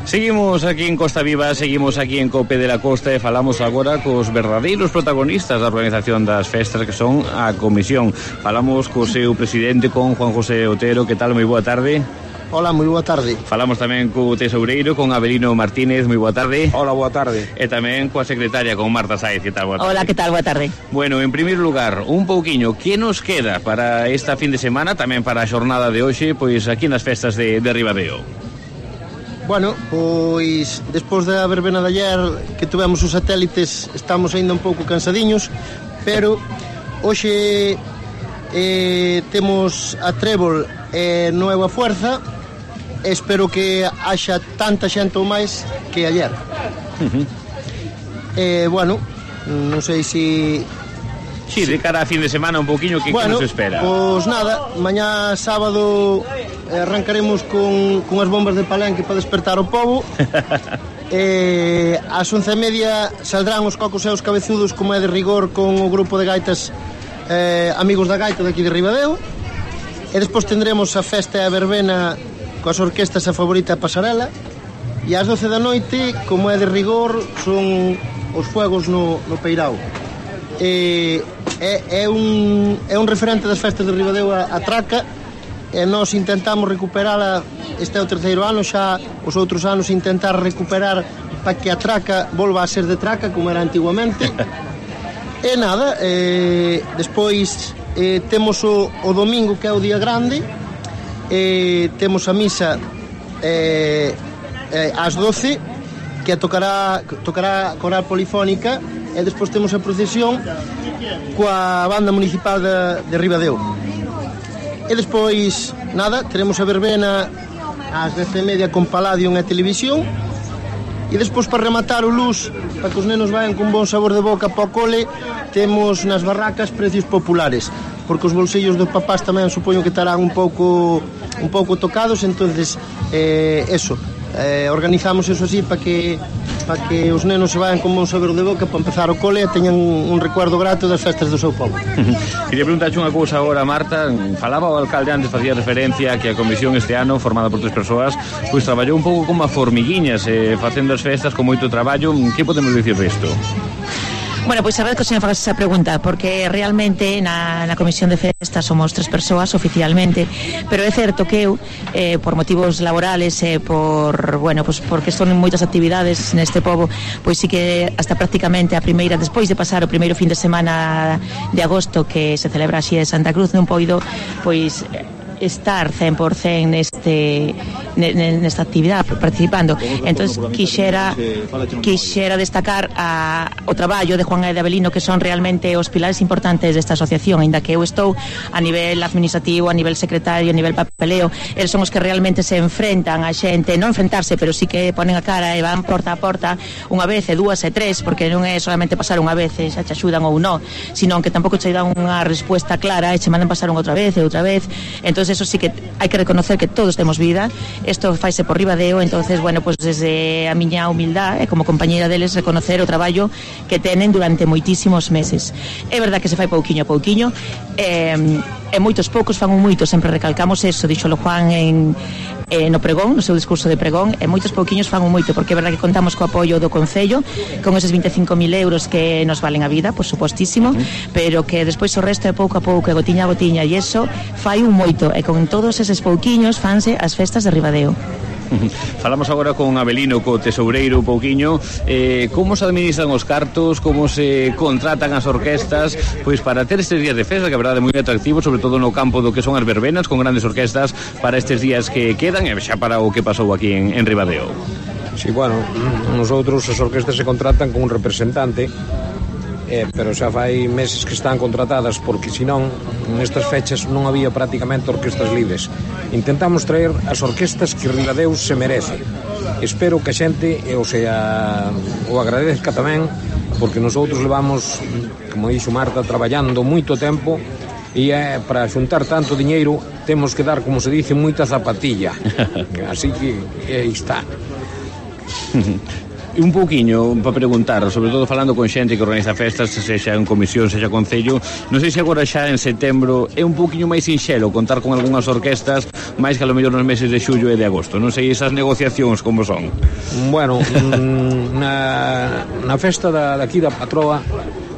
Seguimos aquí en Costa Viva, seguimos aquí en Cope de la Costa e falamos agora cos verdadeiros protagonistas da organización das festas, que son a Comisión. Falamos co seu presidente, con Juan José Otero. Que tal? Moi boa tarde. Hola, moi boa tarde. Falamos tamén co tesoureiro, con Avelino Martínez. Moi boa tarde. Hola, boa tarde. E tamén coa secretaria, con Marta Sáez. Que tal? Boa tarde. Hola, que tal? Boa tarde. Bueno, en primeiro lugar, un pouquiño, que nos queda para esta fin de semana, tamén para a xornada de hoxe, pois aquí nas festas de, de Ribadeo? Bueno, pois despois da verbena de ayer que tuvemos os satélites, estamos ainda un pouco cansadiños, pero hoxe eh, temos a Trébol e eh, Nueva Fuerza. Espero que haxa tanta xente ou máis que ayer. Uh-huh. Eh, bueno, non sei se... Sí, de cara a fin de semana un poquinho, que, bueno, que nos espera? Pois nada, mañá sábado arrancaremos con, con as bombas de Palenque para despertar o povo. eh, Ás once e media saldrán os cocos e os cabezudos, como é de rigor, con o grupo de gaitas eh, Amigos da Gaita de aquí de Ribadeo. E despois tendremos a festa e a verbena coas orquestas A Favorita Pasarela. E ás doce da noite, como é de rigor, son os fuegos no, no Peirao. E, é, é, un, é un referente das festas de Ribadeo a, a traca, e nós intentamos recuperala. Este é o terceiro ano, xa os outros anos intentar recuperar para que a traca volva a ser de traca como era antiguamente. E nada, eh, despois eh, temos o, o domingo, que é o día grande, eh, temos a misa eh, eh, ás doce, que tocará tocará coral polifónica, e despois temos a procesión coa banda municipal de, de Ribadeo. E despois, nada, teremos a verbena ás dez e media con Palladium e televisión. E despois, para rematar o luz, para que os nenos vayan con bon sabor de boca para o cole, temos nas barracas precios populares, porque os bolsillos dos papás tamén supoño que estarán un pouco un pouco tocados, entonces eh, eso, eh, organizamos eso así para que para que os nenos se vayan con bon sabor de boca para empezar o cole e teñan un, un recuerdo grato das festas do seu povo. Quería preguntarche unha cousa agora, Marta. Falaba o alcalde antes, facía referencia que a comisión este ano, formada por tres persoas, pois traballou un pouco como a formiguiñas, eh, facendo as festas con moito traballo. Que podemos dicir disto? Bueno, pois a ver que o señor fagas esa pregunta, porque realmente na, na comisión de festas somos tres persoas oficialmente, pero é certo que eu, eh, por motivos laborales e eh, por, bueno, pues porque son moitas actividades neste pobo, pois sí que hasta prácticamente a primeira, despois de pasar o primeiro fin de semana de agosto que se celebra así de Santa Cruz, non poido pois estar cen por cen neste nesta actividade participando. Entonces quixera quixera destacar a, o traballo de Juan e de Abelino, que son realmente os pilares importantes desta asociación, aínda que eu estou a nivel administrativo, a nivel secretario, a nivel papeleo. Eles son os que realmente se enfrentan a xente, non enfrentarse, pero sí que ponen a cara e van porta a porta unha vez e dúas e tres, porque non é solamente pasar unha vez e xa te axudan ou non, sino que tampouco che dan unha respuesta clara e che mandan pasar unha outra vez e outra vez. Entonces eso sí que hai que reconocer que todos temos vida, isto faise por Ribadeo. Entonces, bueno, pues desde a miña humildade, como compañeira deles, reconocer o traballo que tenen durante moitísimos meses. É verdad que se fai pouquiño a pouquiño, e, e moitos poucos fan un moito, sempre recalcamos eso, dixolo Juan en eh, no pregón, no seu discurso de pregón, e moitos pouquiños fan un moito, porque é verdad que contamos co apoio do Concello, con eses vinte e cinco mil euros que nos valen a vida, por supostísimo, pero que despois o resto é pouco a pouco, e gotiña a gotiña, e eso fai un moito, e con todos eses pouquiños fanse as festas de Ribadeo. Falamos agora con Abelino, co tesoureiro, un pouquiño, eh, como se administran os cartos, como se contratan as orquestas, pois para ter estes días de festa, que a verdade é moi atractivo, sobre todo no campo do que son as verbenas, con grandes orquestas para estes días que quedan, e xa para o que pasou aquí en, en Ribadeo. Sí, bueno, nosotros as orquestas se contratan con un representante, eh, pero xa fai meses que están contratadas, porque senón nestas fechas non había prácticamente orquestas libres. Intentamos traer as orquestas que Ribadeo se merece. Espero que a xente, o sea, o agradezca tamén, porque nosotros levamos, como dixo Marta, traballando moito tempo, e eh, para xuntar tanto diñeiro temos que dar, como se dice, moita zapatilla. Así que aí está. Un pouquiño para preguntar, sobre todo falando con xente que organiza festas, sexa en comisión, sexa concello, non sei se agora xa en setembro é un pouquiño máis sinxelo contar con algunhas orquestas máis que a lo mellor nos meses de xullo e de agosto. Non sei esas negociacións como son. Bueno, na, na festa da, daqui da Patroa,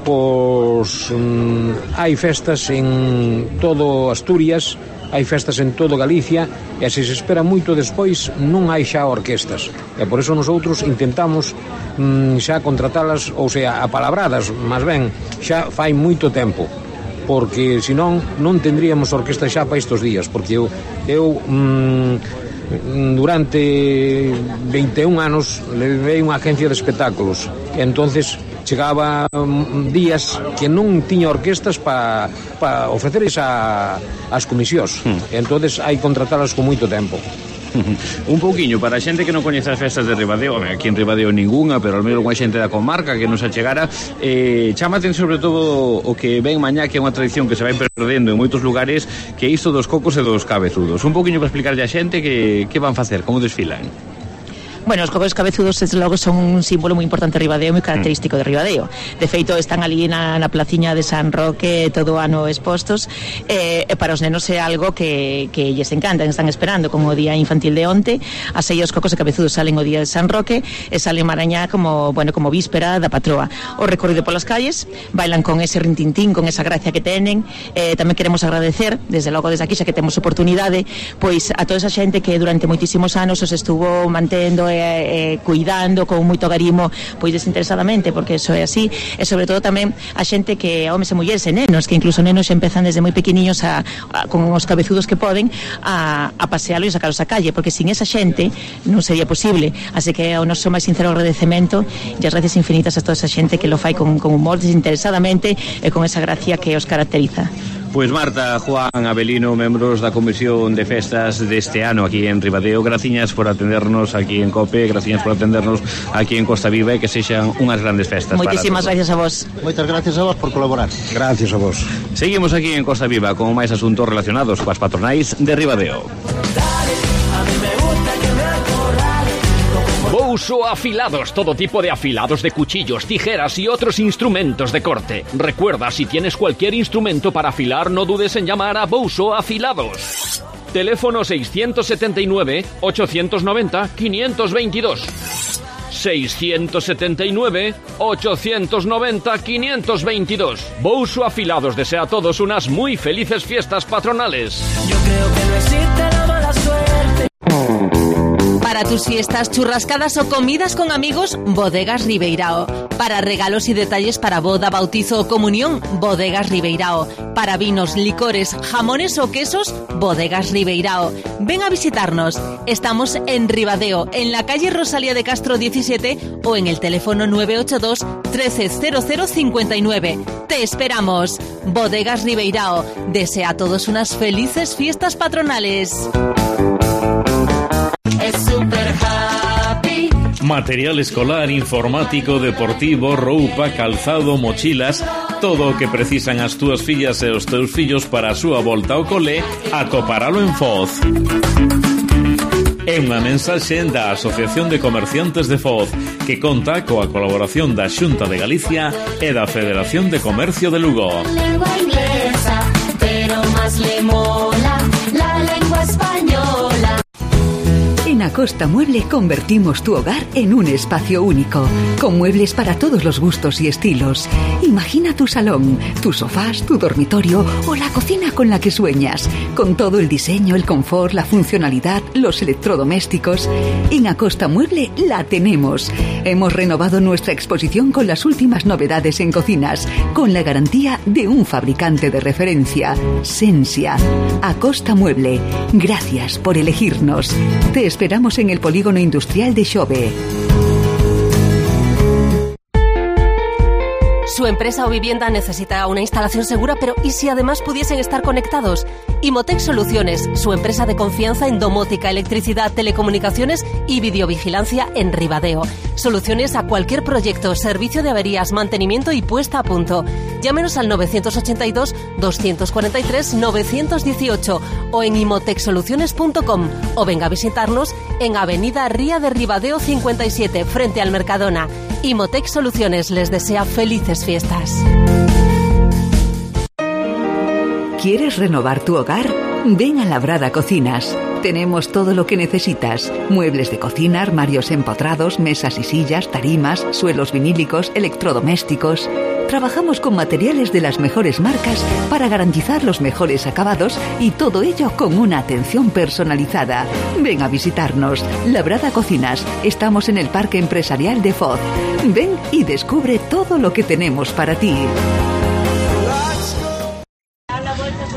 pois mm, hai festas en todo Asturias, hai festas en todo Galicia, e se se espera moito despois non hai xa orquestas, e por eso nosotros intentamos mm, xa contratalas, ou sea, apalabradas, máis ben xa fai moito tempo, porque senón non tendríamos orquesta xa para estes días, porque eu, eu mm, durante vinte e un anos levei unha agencia de espectáculos, e entonces chegaba días que non tiña orquestas para pa ofrecerles a, as comisións, mm. entonces hai contratalas con moito tempo. Un pouquiño, para a xente que non coñece as festas de Ribadeo, aquí en Ribadeo ninguna, pero ao menos unha xente da comarca que nos achegara, eh, chamaten sobre todo o que ven mañá, que é unha tradición que se vai perdendo en moitos lugares, que é isto dos cocos e dos cabezudos. Un pouquiño para explicarlle a xente que, que van facer, como desfilan. Bueno, os cocos cabezudos, desde logo, son un símbolo moi importante de Ribadeo, moi característico de Ribadeo. De feito, están ali na, na placiña de San Roque todo o ano expostos, e eh, para os nenos é algo que, que lles encanta, están esperando, como o día infantil de onte. Así os cocos e cabezudos salen o día de San Roque e salen marañá como, bueno, como víspera da patroa. O recorrido polas calles, bailan con ese rintintín, con esa gracia que tenen. Eh, tamén queremos agradecer, desde logo desde aquí, xa que temos oportunidade, pois a toda esa xente que durante moitísimos anos os estuvo mantendo eh, eh, cuidando con moito garimo, pois desinteresadamente, porque eso é así, e sobre todo tamén a xente que, homes e mulleres e nenos, que incluso nenos xa empezan desde moi pequeniños a, a, con os cabezudos que poden a, a pasealo e sacaros a calle, porque sin esa xente non sería posible. Así que o noso máis sincero agradecemento e as gracias infinitas a toda esa xente que lo fai con, con humor, desinteresadamente e con esa gracia que os caracteriza. Pois Marta, Juan, Abelino, membros da Comisión de Festas deste ano aquí en Ribadeo, graciñas por atendernos aquí en COPE, graciñas por atendernos aquí en Costa Viva e que sexan unhas grandes festas. Moitísimas gracias a vos. Moitas gracias a vos por colaborar. Gracias a vos. Seguimos aquí en Costa Viva con máis asuntos relacionados coas patronais de Ribadeo. Bouso Afilados, todo tipo de afilados de cuchillos, tijeras y otros instrumentos de corte. Recuerda, si tienes cualquier instrumento para afilar, no dudes en llamar a Bouso Afilados. Teléfono seiscientos setenta y nueve, ochocientos noventa, quinientos veintidós. seiscientos setenta y nueve, ochocientos noventa, quinientos veintidós. Bouso Afilados desea a todos unas muy felices fiestas patronales. Yo creo que no existe la mala suerte. Para tus fiestas, churrascadas o comidas con amigos, Bodegas Ribeirao. Para regalos y detalles para boda, bautizo o comunión, Bodegas Ribeirao. Para vinos, licores, jamones o quesos, Bodegas Ribeirao. Ven a visitarnos. Estamos en Ribadeo, en la calle Rosalía de Castro diecisiete o en el teléfono nueve ocho dos, trece cero cero cincuenta y nueve. Te esperamos. Bodegas Ribeirao. Desea a todos unas felices fiestas patronales. Es super happy. Material escolar, informático, deportivo, roupa, calzado, mochilas, todo o que precisan as túas fillas e os teus fillos para a súa volta ao cole, atoparalo en Foz. É unha mensaxe da Asociación de Comerciantes de Foz, que conta coa colaboración da Xunta de Galicia e da Federación de Comercio de Lugo. Lengua inglesa, pero más le mola la lengua española. En Acosta Mueble convertimos tu hogar en un espacio único, con muebles para todos los gustos y estilos. Imagina tu salón, tus sofás, tu dormitorio o la cocina con la que sueñas, con todo el diseño, el confort, la funcionalidad, los electrodomésticos. En Acosta Mueble la tenemos. Hemos renovado nuestra exposición con las últimas novedades en cocinas, con la garantía de un fabricante de referencia, Sensia. Acosta Mueble, gracias por elegirnos. Te esperamos en el polígono industrial de Xove. Su empresa o vivienda necesita una instalación segura, pero ¿y si además pudiesen estar conectados? Imotec Soluciones, su empresa de confianza en domótica, electricidad, telecomunicaciones y videovigilancia en Ribadeo. Soluciones a cualquier proyecto, servicio de averías, mantenimiento y puesta a punto. Llámenos al nueve ochenta y dos, doscientos cuarenta y tres, novecientos dieciocho o en imotec soluciones punto com o venga a visitarnos en Avenida Ría de Ribadeo cincuenta y siete, frente al Mercadona. Imotec Soluciones les desea felices fiestas. ¿Quieres renovar tu hogar? Ven a Labrada Cocinas. Tenemos todo lo que necesitas. Muebles de cocina, armarios empotrados, mesas y sillas, tarimas, suelos vinílicos, electrodomésticos. Trabajamos con materiales de las mejores marcas para garantizar los mejores acabados y todo ello con una atención personalizada. Ven a visitarnos. Labrada Cocinas. Estamos en el Parque Empresarial de Foz. Ven y descubre todo lo que tenemos para ti.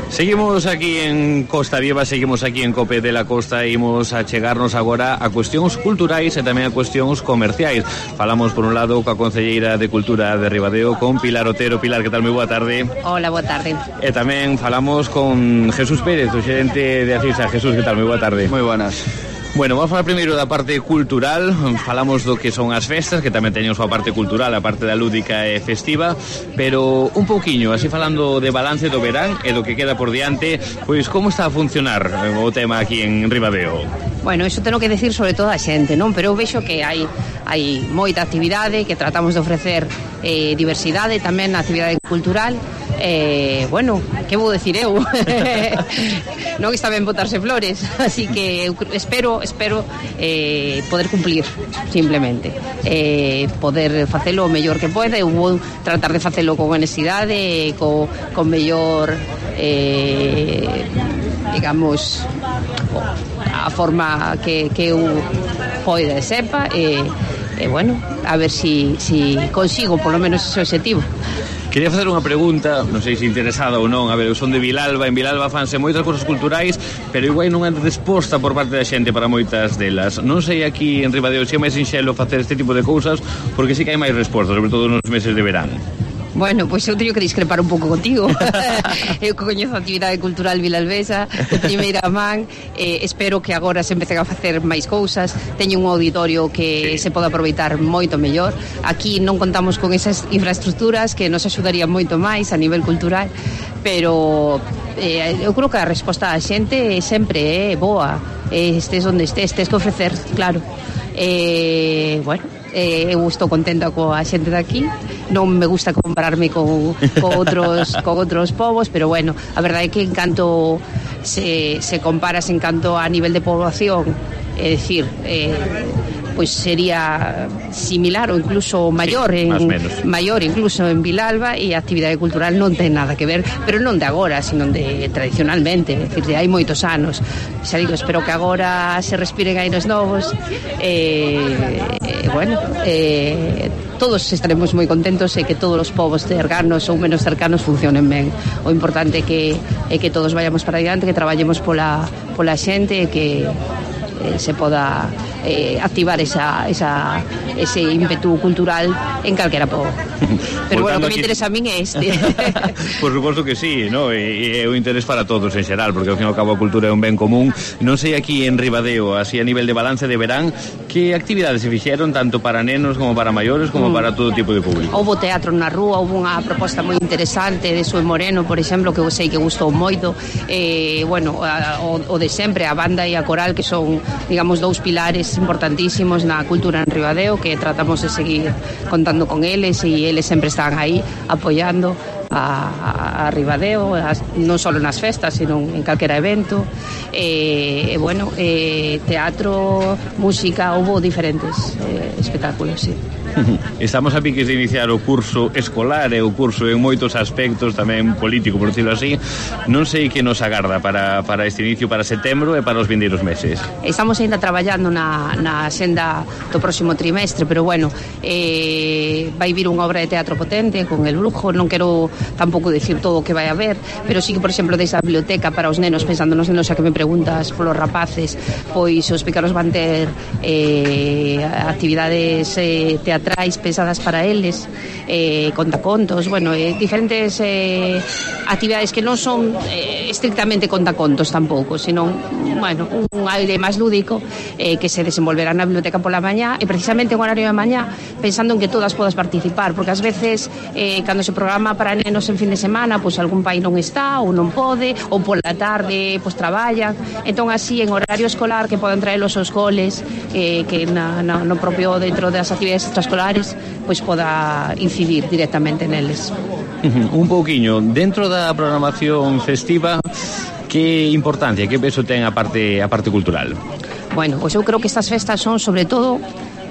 Seguimos aquí en Costa Viva, seguimos aquí en Cope de la Costa e imos a chegarnos agora a cuestións culturais e tamén a cuestións comerciais. Falamos por un lado coa Concelleira de Cultura de Ribadeo, con Pilar Otero. Pilar, que tal? Moi boa tarde. Hola, boa tarde. E tamén falamos con Jesús Pérez, o xerente de Acisa. Jesús, que tal? Moi boa tarde. Moi buenas. Bueno, vamos a falar primeiro da parte cultural. Falamos do que son as festas, que tamén teñen a súa parte cultural, a parte da lúdica e festiva, pero un pouquiño, así falando de balance do verán e do que queda por diante, pois como está a funcionar o tema aquí en Ribadeo? Bueno, iso tenho que decir sobre todo a xente, non? Pero eu vexo que hai hai moita actividade, que tratamos de ofrecer eh, diversidade tamén na actividade cultural. Eh, bueno, que vou decir eu? Non está ben botarse flores, así que eu espero espero eh, poder cumplir, simplemente eh, poder facelo o mellor que poida. Eu vou tratar de facelo con honestidade, co, con mellor eh, digamos a forma que, que eu poida e sepa e, e bueno, a ver si, si consigo polo menos ese objetivo. Quería facer unha pregunta, non sei se interesada ou non. A ver, eu son de Vilalba, en Vilalba fanse moitas cousas culturais, pero igual non é resposta por parte da xente para moitas delas. Non sei aquí en Ribadeo se é máis sinxelo facer este tipo de cousas, porque sí que hai máis respostas, sobre todo nos meses de verán. Bueno, pois eu teño que discrepar un pouco contigo. Eu coñezo a actividade cultural vilalbesa de primeira man, eh, espero que agora se empecen a facer máis cousas. Teño un auditorio que sí. se pode aproveitar moito mellor. Aquí non contamos con esas infraestructuras que nos axudarían moito máis a nivel cultural, pero eh, eu creo que a resposta da xente sempre é boa. Eh, estés onde estés, tes que ofrecer, claro. Eh, bueno, eh, eu estou contenta coa xente daqui. Non me gusta compararme con, con outros con outros povos, pero bueno, a verdade é que en canto se, se comparas en canto a nivel de poboación, é dicir, eh, pois sería similar ou incluso maior, sí, en, maior incluso en Vilalba, e a actividade cultural non ten nada que ver, pero non de agora, sino de tradicionalmente, é dicir, de hai moitos anos. Xa digo, espero que agora se respiren aires novos, e eh, bueno, eh, todos estaremos moi contentos e que todos os povos cercanos ou menos cercanos funcionen ben. O importante é que, é que todos vayamos para adiante, que traballemos pola, pola xente e que eh, se poda eh, activar esa, esa, ese ímpetu cultural en calquera povo. Pero bueno, o que me interesa a min é este. Por suposto que sí, ¿no? E é o interés para todos en xeral, porque ao fin e ao cabo a cultura é un ben común. Non sei aquí en Ribadeo, así a nivel de balance de verán, que actividades se fixeron tanto para nenos como para maiores como mm. para todo tipo de público? Houbo teatro na rúa, houbo unha proposta moi interesante de Sue Moreno, por exemplo, que eu sei que gustou moito. Eh, bueno, a, o, o de sempre, a banda e a coral, que son, digamos, dous pilares importantísimos na cultura en Ribadeo, que tratamos de seguir contando con eles, e eles sempre están aí apoiando a, a Ribadeo, as, non só nas festas, sino en calquera evento. E, eh, bueno, eh, teatro, música, houve diferentes eh, espectáculos, sí. Estamos a piques de iniciar o curso escolar e o curso en moitos aspectos tamén político, por decirlo así. Non sei que nos agarda para, para este inicio, para setembro e para os vindeiros meses. Estamos ainda traballando na, na senda do próximo trimestre, pero bueno, eh, vai vir unha obra de teatro potente con el Brujo. Non quero tampouco decir todo o que vai haber, pero sí que, por exemplo, desde a biblioteca para os nenos, pensando nos nenos, xa que me preguntas polos rapaces, pois os pequenos van ter eh, actividades eh, teatrales pensadas para eles, eh, contacontos, bueno, eh, diferentes eh, actividades que non son eh, estrictamente contacontos tampouco, sino, bueno, un aire máis lúdico eh, que se desenvolverá na biblioteca pola mañá, e precisamente en horario de mañá, pensando en que todas podas participar, porque ás veces eh, cando se programa para nenos en fin de semana, pois algún pai non está ou non pode, ou pola tarde pois traballan, entón así en horario escolar que poden traer os seus coles, eh, que na, na, no propio dentro das actividades extraescolares pois poda incidir directamente neles. Un pouquiño, dentro da programación festiva, que importancia, que peso ten a parte, a parte cultural? Bueno, pois eu creo que estas festas son sobre todo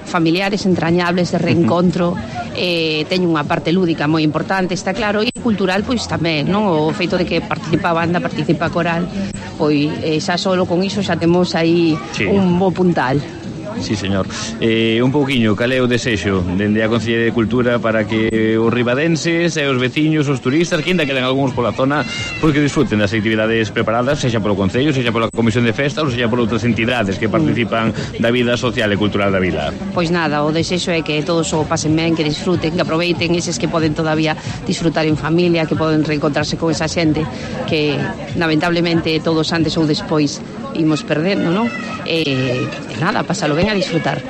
familiares, entrañables, de reencontro, eh, teñen unha parte lúdica moi importante, está claro, e cultural pois tamén, non? O feito de que participa a banda, participa a coral, pois eh, xa solo con iso xa temos aí sí. un bo puntal. Sí, señor. Eh, un pouquiño, cal é o desexo dende a Consellería de Cultura para que os ribadenses e os veciños, os turistas, que ainda queden algúns pola zona, pois que disfruten das actividades preparadas, sexa polo Concello, sexa pola Comisión de Festas ou sexa por outras entidades que participan da vida social e cultural da vila? Pois nada, o desexo é que todos o pasen ben, que disfruten, que aproveiten eses que poden todavía disfrutar en familia, que poden reencontrarse con esa xente que lamentablemente todos antes ou despois imos perdendo, non? E, e nada, pásalo ben a disfrutar.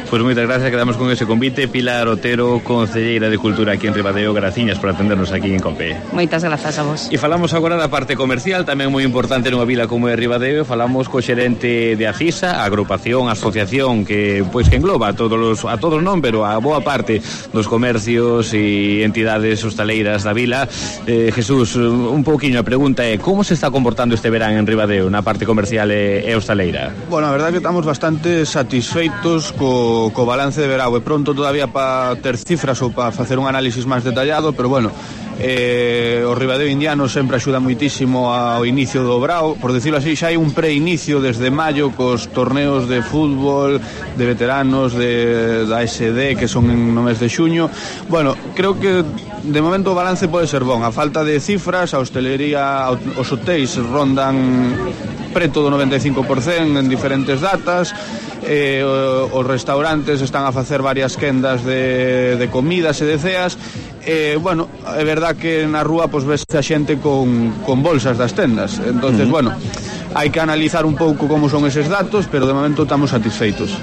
Pois moitas gracias, quedamos con ese convite. Pilar Otero, Concelleira de Cultura aquí en Ribadeo, graciñas por atendernos aquí en Compe. Moitas grazas a vos. E falamos agora da parte comercial, tamén moi importante nunha vila como é Ribadeo. Falamos co xerente de Acisa, a agrupación, a asociación que pois que engloba a todos os, a todos non, pero a boa parte dos comercios e entidades hostaleiras da vila. Eh, Jesús, un pouquiño a pregunta é como se está comportando este verán en Ribadeo na parte comercial e, e hostaleira? Bueno, a verdade é que estamos bastante satisfeitos co co balance de verao. É pronto todavía para ter cifras ou para facer un análisis máis detallado, pero bueno, eh, o Ribadeo Indiano sempre axuda moitísimo ao inicio do Brao, por decirlo así, xa hai un preinicio desde maio cos torneos de fútbol, de veteranos, de, da S D, que son no mes de xuño. Bueno, creo que de momento o balance pode ser bon. A falta de cifras, a hostelería, os hotéis rondan preto do noventa e cinco por cento en diferentes datas, eh, os restaurantes están a facer varias quendas de, de comidas e de ceas. Eh, bueno, é verdad que na rúa pois ves a xente con, con bolsas das tendas, entonces, uh-huh. bueno, hai que analizar un pouco como son eses datos, pero de momento estamos satisfeitos.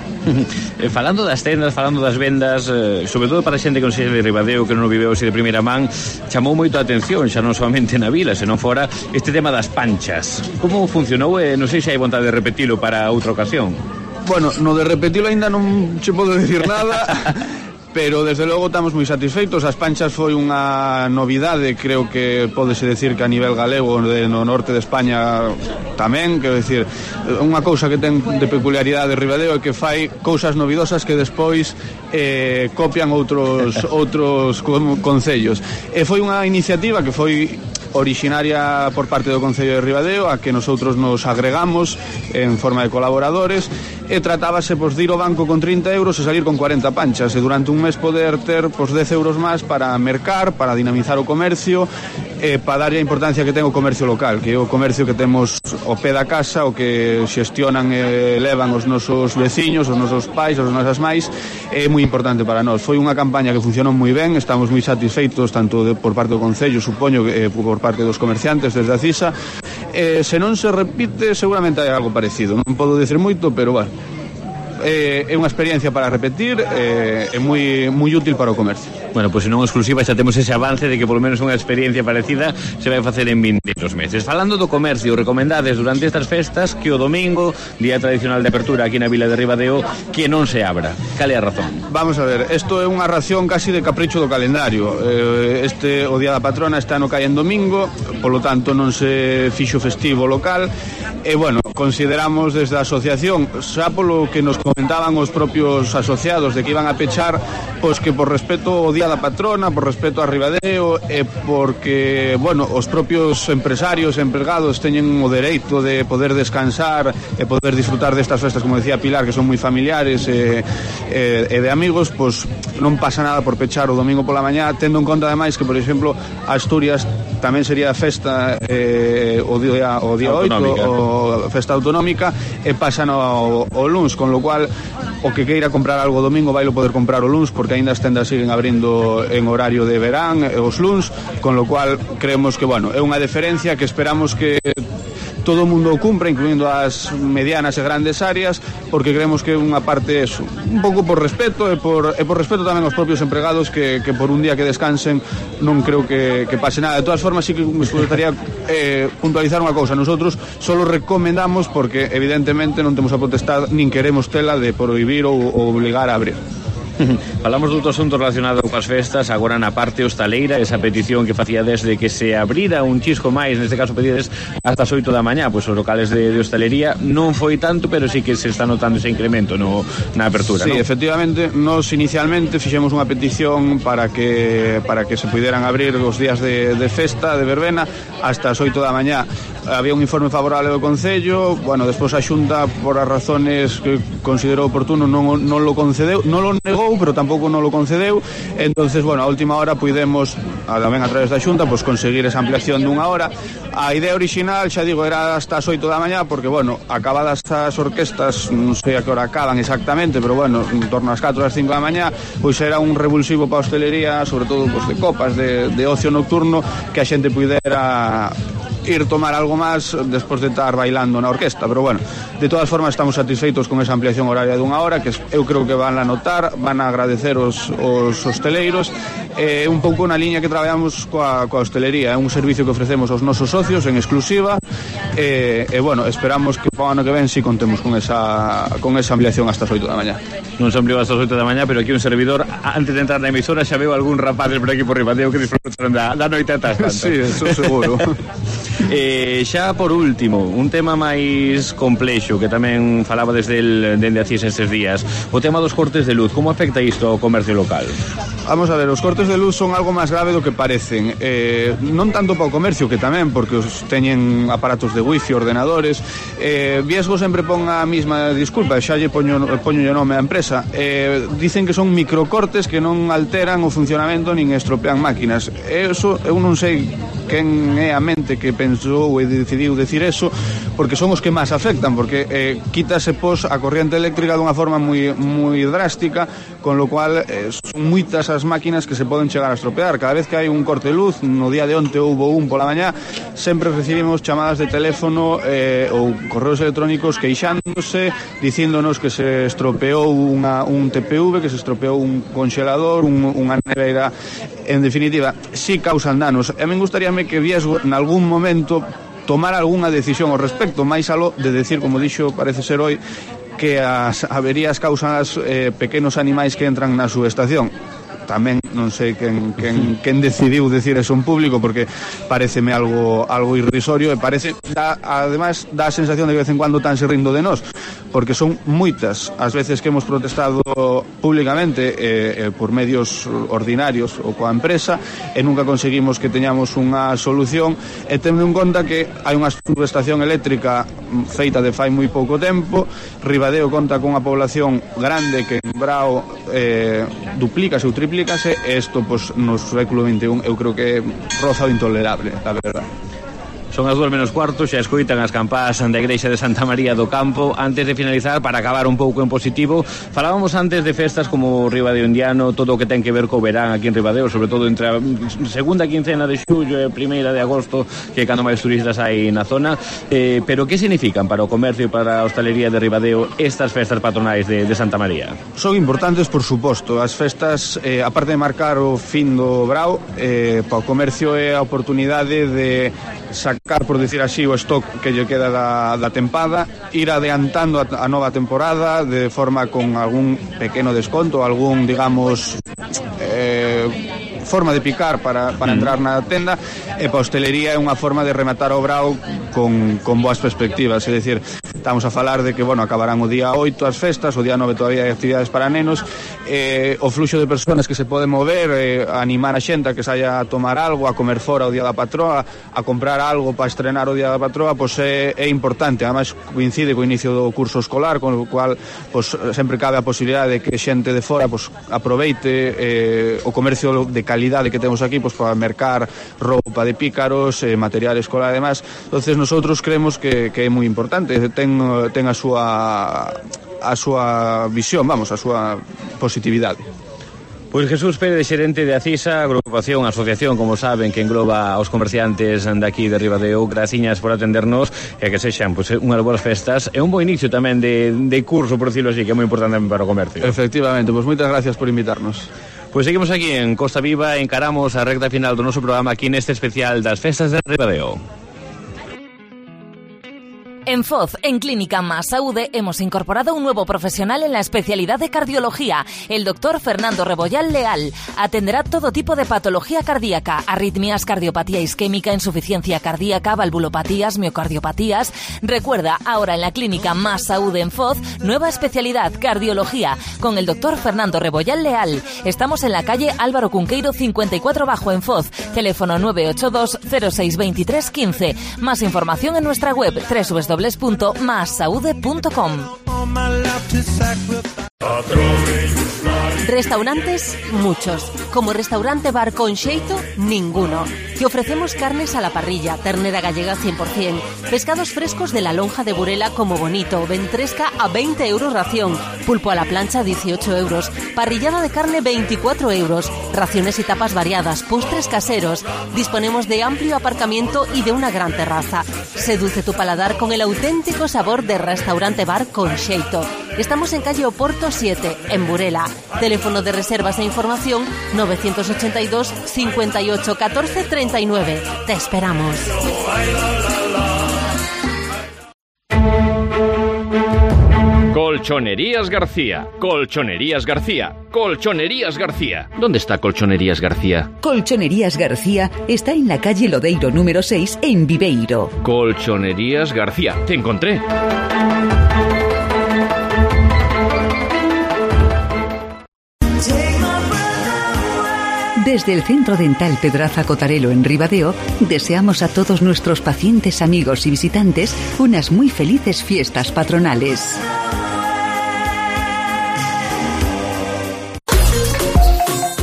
eh, Falando das tendas, falando das vendas, eh, sobre todo para a xente que non sei de Ribadeo, que non o viveu así de primeira man, chamou moito a atención, xa non somente na vila, senón fora, este tema das panchas. Como funcionou? Eh, non sei se hai vontade de repetilo para outra ocasión. Bueno, no de repetilo ainda non che podo dicir nada. Pero desde logo estamos moi satisfeitos. As panchas foi unha novidade, creo que pódese decir que a nivel galego, de, no norte de España tamén, quero decir, unha cousa que ten de peculiaridade de Ribadeo é que fai cousas novidosas que despois eh, copian outros outros concellos. E foi unha iniciativa que foi originaria por parte do Concello de Ribadeo, a que nosotros nos agregamos en forma de colaboradores, e tratábase pois, de ir ao banco con trinta euros e salir con cuarenta panchas, e durante un mes poder ter pois, dez euros máis para mercar, para dinamizar o comercio, e para darlle a importancia que ten o comercio local, que é o comercio que temos ao pé da casa, o que xestionan e levan os nosos veciños, os nosos pais, os nosas máis, é moi importante para nós. Foi unha campaña que funcionou moi ben, estamos moi satisfeitos tanto de, por parte do Concello, supoño, que eh, por parte dos comerciantes desde a CISA. Eh, se non se repite, seguramente hai algo parecido, non podo dicir moito, pero bueno, eh, é unha experiencia para repetir, eh, é moi moi útil para o comercio. Bueno, pois pues, se non exclusiva xa temos ese avance de que polo menos unha experiencia parecida se vai facer en vindeiros meses. Falando do comercio, recomendades durante estas festas que o domingo, día tradicional de apertura aquí na vila de Ribadeo, que non se abra. Cal é a razón? Vamos a ver, isto é unha ración casi de capricho do calendario. Eh, este, o día da patrona está no cae en domingo, polo tanto non se fixo festivo local, e bueno, consideramos desde a asociación, xa polo que nos comentaban os propios asociados de que iban a pechar, pois que por respeto ao día da patrona, por respeto a Ribadeo, e porque, bueno, os propios empresarios e empregados teñen o dereito de poder descansar e poder disfrutar destas festas, como decía Pilar, que son moi familiares e, e, e de amigos, pois non pasa nada por pechar o domingo pola mañá, tendo en conta ademais que, por exemplo, Asturias tamén sería festa eh, o día o día oito, o festa autonómica, e pasan ao, ao luns, con lo cual o que queira comprar algo domingo vailo poder comprar o luns, porque aínda as tendas siguen abrindo en horario de verán os luns, con lo cual creemos que, bueno, é unha deferencia que esperamos que todo o mundo o cumpra, incluindo as medianas e grandes áreas, porque creemos que unha parte eso, un pouco por respeto e por, e por respeto tamén aos propios empregados, que, que por un día que descansen non creo que, que pase nada. De todas formas, sí que me gustaría eh, puntualizar unha cousa. Nosotros solo recomendamos, porque evidentemente non temos a potestad, nin queremos tela de prohibir ou, ou obligar a abrir. Falamos de outro asunto relacionado coas festas, agora na parte hostaleira, esa petición que facía desde que se abrira un chisco máis, neste caso pedides hasta as oito da mañá, pois os locales de, de hostalería non foi tanto, pero sí que se está notando ese incremento no, na apertura, sí, ¿no? Efectivamente, nos inicialmente fixemos unha petición para que para que se puderan abrir os días de, de festa, de verbena, hasta as oito da mañá. Había un informe favorable do Concello, bueno, despois a Xunta, por as razones que considerou oportuno, non, non lo concedeu, non lo negou, pero tampouco non lo concedeu. Entonces, bueno, a última hora puidemos, tamén a través da Xunta, pues, conseguir esa ampliación dunha hora. A idea original, xa digo, era hasta as oito da mañá, porque, bueno, acabadas as orquestas, non sei a que hora acaban exactamente, pero, bueno, en torno ás catro, ás cinco da mañá, pois era un revulsivo para a hostelería, sobre todo, pues, de copas, de, de ocio nocturno, que a xente puidera ir tomar algo máis despois de estar bailando na orquesta, pero bueno, de todas formas estamos satisfeitos con esa ampliación horaria dunha hora, que eu creo que van a notar, van a agradecer os, os hosteleiros. É eh, un pouco na liña que traballamos coa, coa hostelería, é un servicio que ofrecemos aos nosos socios en exclusiva, e, e bueno, esperamos que para o ano que ven si contemos con esa, con esa ampliación hasta as oito da mañá. Non se ampliou hasta as oito da mañá, pero aquí un servidor, antes de entrar na emisora, xa veo algún rapaces por aquí por Ribadeo que disfrutaron da, da noite ata tanto. Sí, eso seguro. Eh, xa por último, un tema máis complexo que tamén falaba desde el, dende a CIS estes días, o tema dos cortes de luz. Como afecta isto ao comercio local? Vamos a ver, os cortes cortes de luz son algo máis grave do que parecen. Eh, non tanto para o comercio, que tamén, porque os teñen aparatos de wifi, ordenadores. Eh, Viesgo sempre pon a mesma disculpa, xa lle poño, poño o nome á empresa. Eh, dicen que son microcortes que non alteran o funcionamento nin estropean máquinas. Eso, eu non sei quen é a mente que pensou e decidiu decir eso, porque son os que máis afectan, porque eh, quítase pos a corriente eléctrica dunha forma moi, moi drástica, con lo cual eh, son moitas as máquinas que se poden chegar a estropear. Cada vez que hai un corte de luz, no día de onte houbo un pola mañá, sempre recibimos chamadas de teléfono eh, ou correos electrónicos queixándose, dicíndonos que se estropeou unha, un T P V, que se estropeou un congelador, un, unha neveira. En definitiva, sí causan danos. E me gustaríame que Viesgo, en algún momento, tomar algunha decisión ao respecto, máis aló de decir, como dixo, parece ser hoy, que as averías causan as eh, pequenos animais que entran na subestación. Tamén non sei quen, quen, quen decidiu decir eso en público, porque pareceme algo algo irrisorio e parece, da, ademais dá a sensación de que de vez en cuando tan se rindo de nós, porque son moitas as veces que hemos protestado públicamente eh, eh, por medios ordinarios ou coa empresa, e nunca conseguimos que teñamos unha solución, e tendo en conta que hai unha subestación eléctrica feita de fai moi pouco tempo. Ribadeo conta con unha población grande que en Brao eh, duplícase ou triplícase, e isto pues, no século vinte e un eu creo que roza o intolerable, a verdade. Son as dúas menos cuarto, xa escoitan as campás da Igrexa de Santa María do Campo. Antes de finalizar, para acabar un pouco en positivo, falábamos antes de festas como Ribadeo Indiano, todo o que ten que ver co verán aquí en Ribadeo, sobre todo entre a segunda quincena de xullo e a primeira de agosto, que cando máis turistas hai na zona. Eh, pero que significan para o comercio e para a hostalería de Ribadeo estas festas patronais de, de Santa María? Son importantes, por suposto. As festas, eh, aparte de marcar o fin do Brao, eh, para o comercio é a oportunidade de sacar, por decir así, o stock que lle queda da, da tempada, ir adiantando a, a nova temporada de forma con algún pequeno desconto, algún, digamos, eh, forma de picar para, para entrar na tenda, e para a hostelería é unha forma de rematar o Brao con, con boas perspectivas. É dicir, estamos a falar de que, bueno, acabarán o día oito as festas, o día nove todavía hai actividades para nenos, eh, o fluxo de persoas que se pode mover, eh, a animar a xente a que saia a tomar algo, a comer fora o día da patroa, a comprar algo para estrenar o día da patroa, pois é, é importante. Ademais coincide co inicio do curso escolar, con o cual pois, sempre cabe a posibilidade de que xente de fora pois, aproveite eh, o comercio de calidade que temos aquí pois, para mercar roupa de pícaros, eh, material escolar e demás. Entonces nosotros creemos que, que é moi importante, ten, ten a súa a súa visión, vamos, a súa positividade. Pois Jesús Pérez, xerente de Acisa, agrupación, asociación, como saben, que engloba aos comerciantes daqui de Ribadeo. Graciñas por atendernos e que sexan pois, unhas boas festas e un bo inicio tamén de, de curso, por decirlo así, que é moi importante para o comercio. Efectivamente, pois moitas gracias por invitarnos. Pois seguimos aquí en Costa Viva, encaramos a recta final do noso programa aquí neste especial das festas de Ribadeo. En Foz, en Clínica Más Saúde, hemos incorporado un nuevo profesional en la especialidad de cardiología, el doctor Fernando Rebollal Leal. Atenderá todo tipo de patología cardíaca, arritmias, cardiopatía isquémica, insuficiencia cardíaca, valvulopatías, miocardiopatías. Recuerda, ahora en la Clínica Más Saúde en Foz, nueva especialidad, cardiología, con el doctor Fernando Rebollal Leal. Estamos en la calle Álvaro Cunqueiro cincuenta y cuatro Bajo en Foz. Teléfono nueve ocho dos cero seis dos tres uno cinco. Más información en nuestra web doble u doble u doble u punto más saude punto com. Restaurantes, muchos. Como Restaurante Bar con Xeito, ninguno. Te ofrecemos carnes a la parrilla, ternera gallega cien por cien, pescados frescos de la lonja de Burela como bonito, ventresca a veinte euros ración, pulpo a la plancha dieciocho euros, parrillada de carne veinticuatro euros, raciones y tapas variadas, postres caseros. Disponemos de amplio aparcamiento y de una gran terraza. Seduce tu paladar con el auténtico sabor de Restaurante Bar con Xeito. Estamos en calle Oporto siete, en Burela. Teléfono de reservas e información nueve ochenta y dos cincuenta y ocho catorce treinta y nueve. Te esperamos. Colchonerías García, Colchonerías García, Colchonerías García. ¿Dónde está Colchonerías García? Colchonerías García está en la calle Lodeiro número seis en Viveiro. Colchonerías García, te encontré. Desde el Centro Dental Pedraza Cotarelo en Ribadeo, deseamos a todos nuestros pacientes, amigos y visitantes unas muy felices fiestas patronales.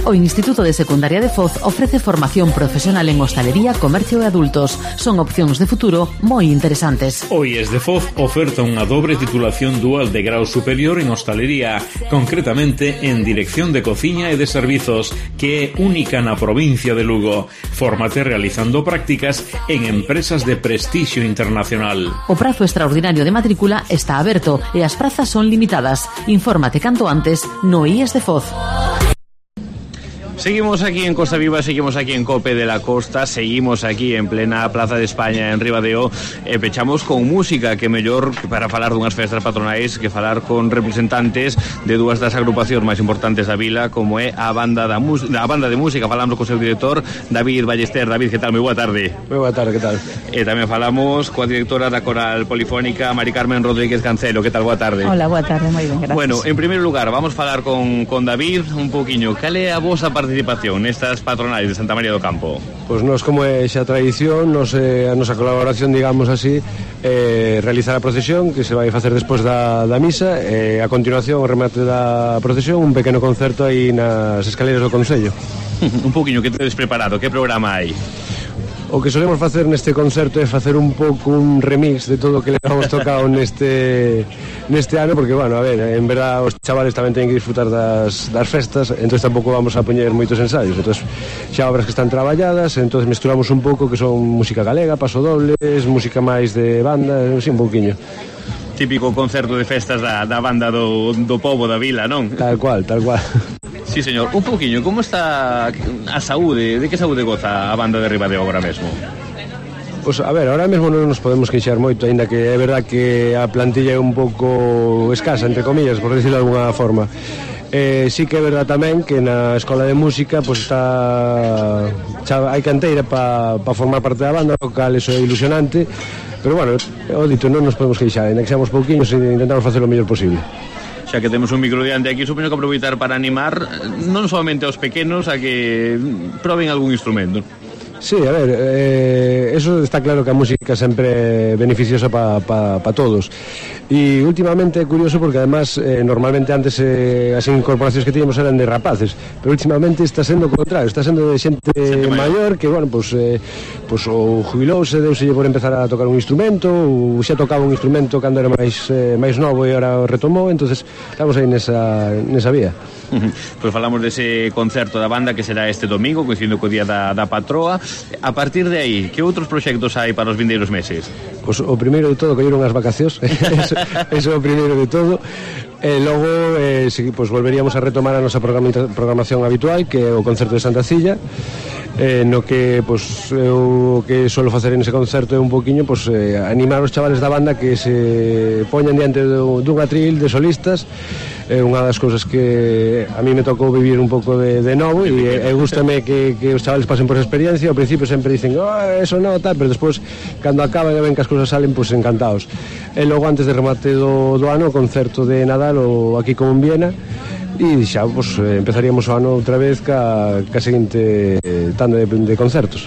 O Instituto de Secundaria de Foz ofrece formación profesional en hostalería, comercio e adultos. Son opcións de futuro moi interesantes. O I E S de Foz oferta unha dobre titulación dual de grau superior en hostalería, concretamente en dirección de cociña e de servizos, que é única na provincia de Lugo. Fórmate realizando prácticas en empresas de prestixio internacional. O prazo extraordinario de matrícula está aberto e as prazas son limitadas. Infórmate canto antes no I E S de Foz. Seguimos aquí en Costa Viva, seguimos aquí en Cope de la Costa, seguimos aquí en plena Plaza de España en Ribadeo, e pechamos con música, que mellor para falar dunhas festas patronais que falar con representantes de dúas das agrupacións máis importantes da vila, como é a banda da, a banda de música. Falamos co seu director, David Ballester. David, que tal? Moi boa tarde. Moi boa tarde, que tal? E tamén falamos coa directora da Coral Polifónica, Mari Carmen Rodríguez Cancelo. Que tal? Boa tarde. Hola, boa tarde, moi ben, gracias. Bueno, en primeiro lugar, vamos falar con, con David un poquinho. Cal é a vosa participación nestas patronais de Santa María do Campo? Pois nos, como é xa tradición, nos, eh, a nosa colaboración, digamos así, eh, realizar a procesión que se vai facer despois da, da misa, e eh, a continuación o remate da procesión, un pequeno concerto aí nas escaleras do Concello. Un poquinho, que tedes preparado? Que programa hai? O que solemos facer neste concerto é facer un pouco un remix de todo o que le hemos tocado neste neste ano, porque, bueno, a ver, en verdad os chavales tamén teñen que disfrutar das, das festas, entón tampouco vamos a poñer moitos ensaios, entón xa obras que están traballadas, entón mesturamos un pouco que son música galega, pasodobles, música máis de banda, así un pouquiño. Típico concerto de festas da, da banda do, do pobo da vila, non? Tal cual, tal cual. Sí, señor. Un poquinho, como está a saúde? De que saúde goza a banda de Ribadeo agora mesmo? Pois, a ver, ahora mesmo non nos podemos queixar moito, aínda que é verdad que a plantilla é un pouco escasa, entre comillas, por decirlo de alguna forma. Eh, sí que é verdad tamén que na Escola de Música pues, está xa, hai canteira para pa formar parte da banda, o cal eso é ilusionante, pero bueno, o dito, non nos podemos queixar, aínda que seamos pouquiños e intentamos facer o mellor posible. Xa que temos un micro diante aquí, supoño que aproveitar para animar non solamente aos pequenos a que proben algún instrumento. Sí, a ver, eh, eso está claro que a música sempre é beneficiosa para pa, pa todos. E últimamente é curioso porque además eh, normalmente antes eh, as incorporacións que tiñamos eran de rapaces, pero últimamente está sendo o contrario, está sendo de xente, xente maior que, bueno, pues, eh, pues o jubilouse, deuselle por empezar a tocar un instrumento, ou xa tocaba un instrumento cando era máis, eh, máis novo e agora o retomou, entonces estamos aí nesa, nesa vía. Uh-huh. Pois falamos dese concerto da banda que será este domingo, coincidindo co día da, da patroa. A partir de aí, que outros proxectos hai para os vindeiros meses? Pois o primeiro de todo, colleron as vacacións. eso, eso é o primeiro de todo. E logo, eh, si, pues, volveríamos a retomar a nosa programación habitual, que é o concerto de Santa Cilla, eh, no que pues, eu que suelo facer en ese concerto é un poquinho pues, eh, animar os chavales da banda que se poñan diante do, dun atril de solistas. É unha das cousas que a mí me tocou vivir un pouco de, de novo e, e gústame que, que os chavales pasen por esa experiencia. Ao principio sempre dicen, oh, eso non, tal, pero despois, cando acaban e ven que as cousas salen, pues encantados. E logo, antes de remate do, do ano, o concerto de Nadal o aquí como en Viena, e xa, pues, empezaríamos o ano outra vez ca, ca seguinte tanda de, de concertos.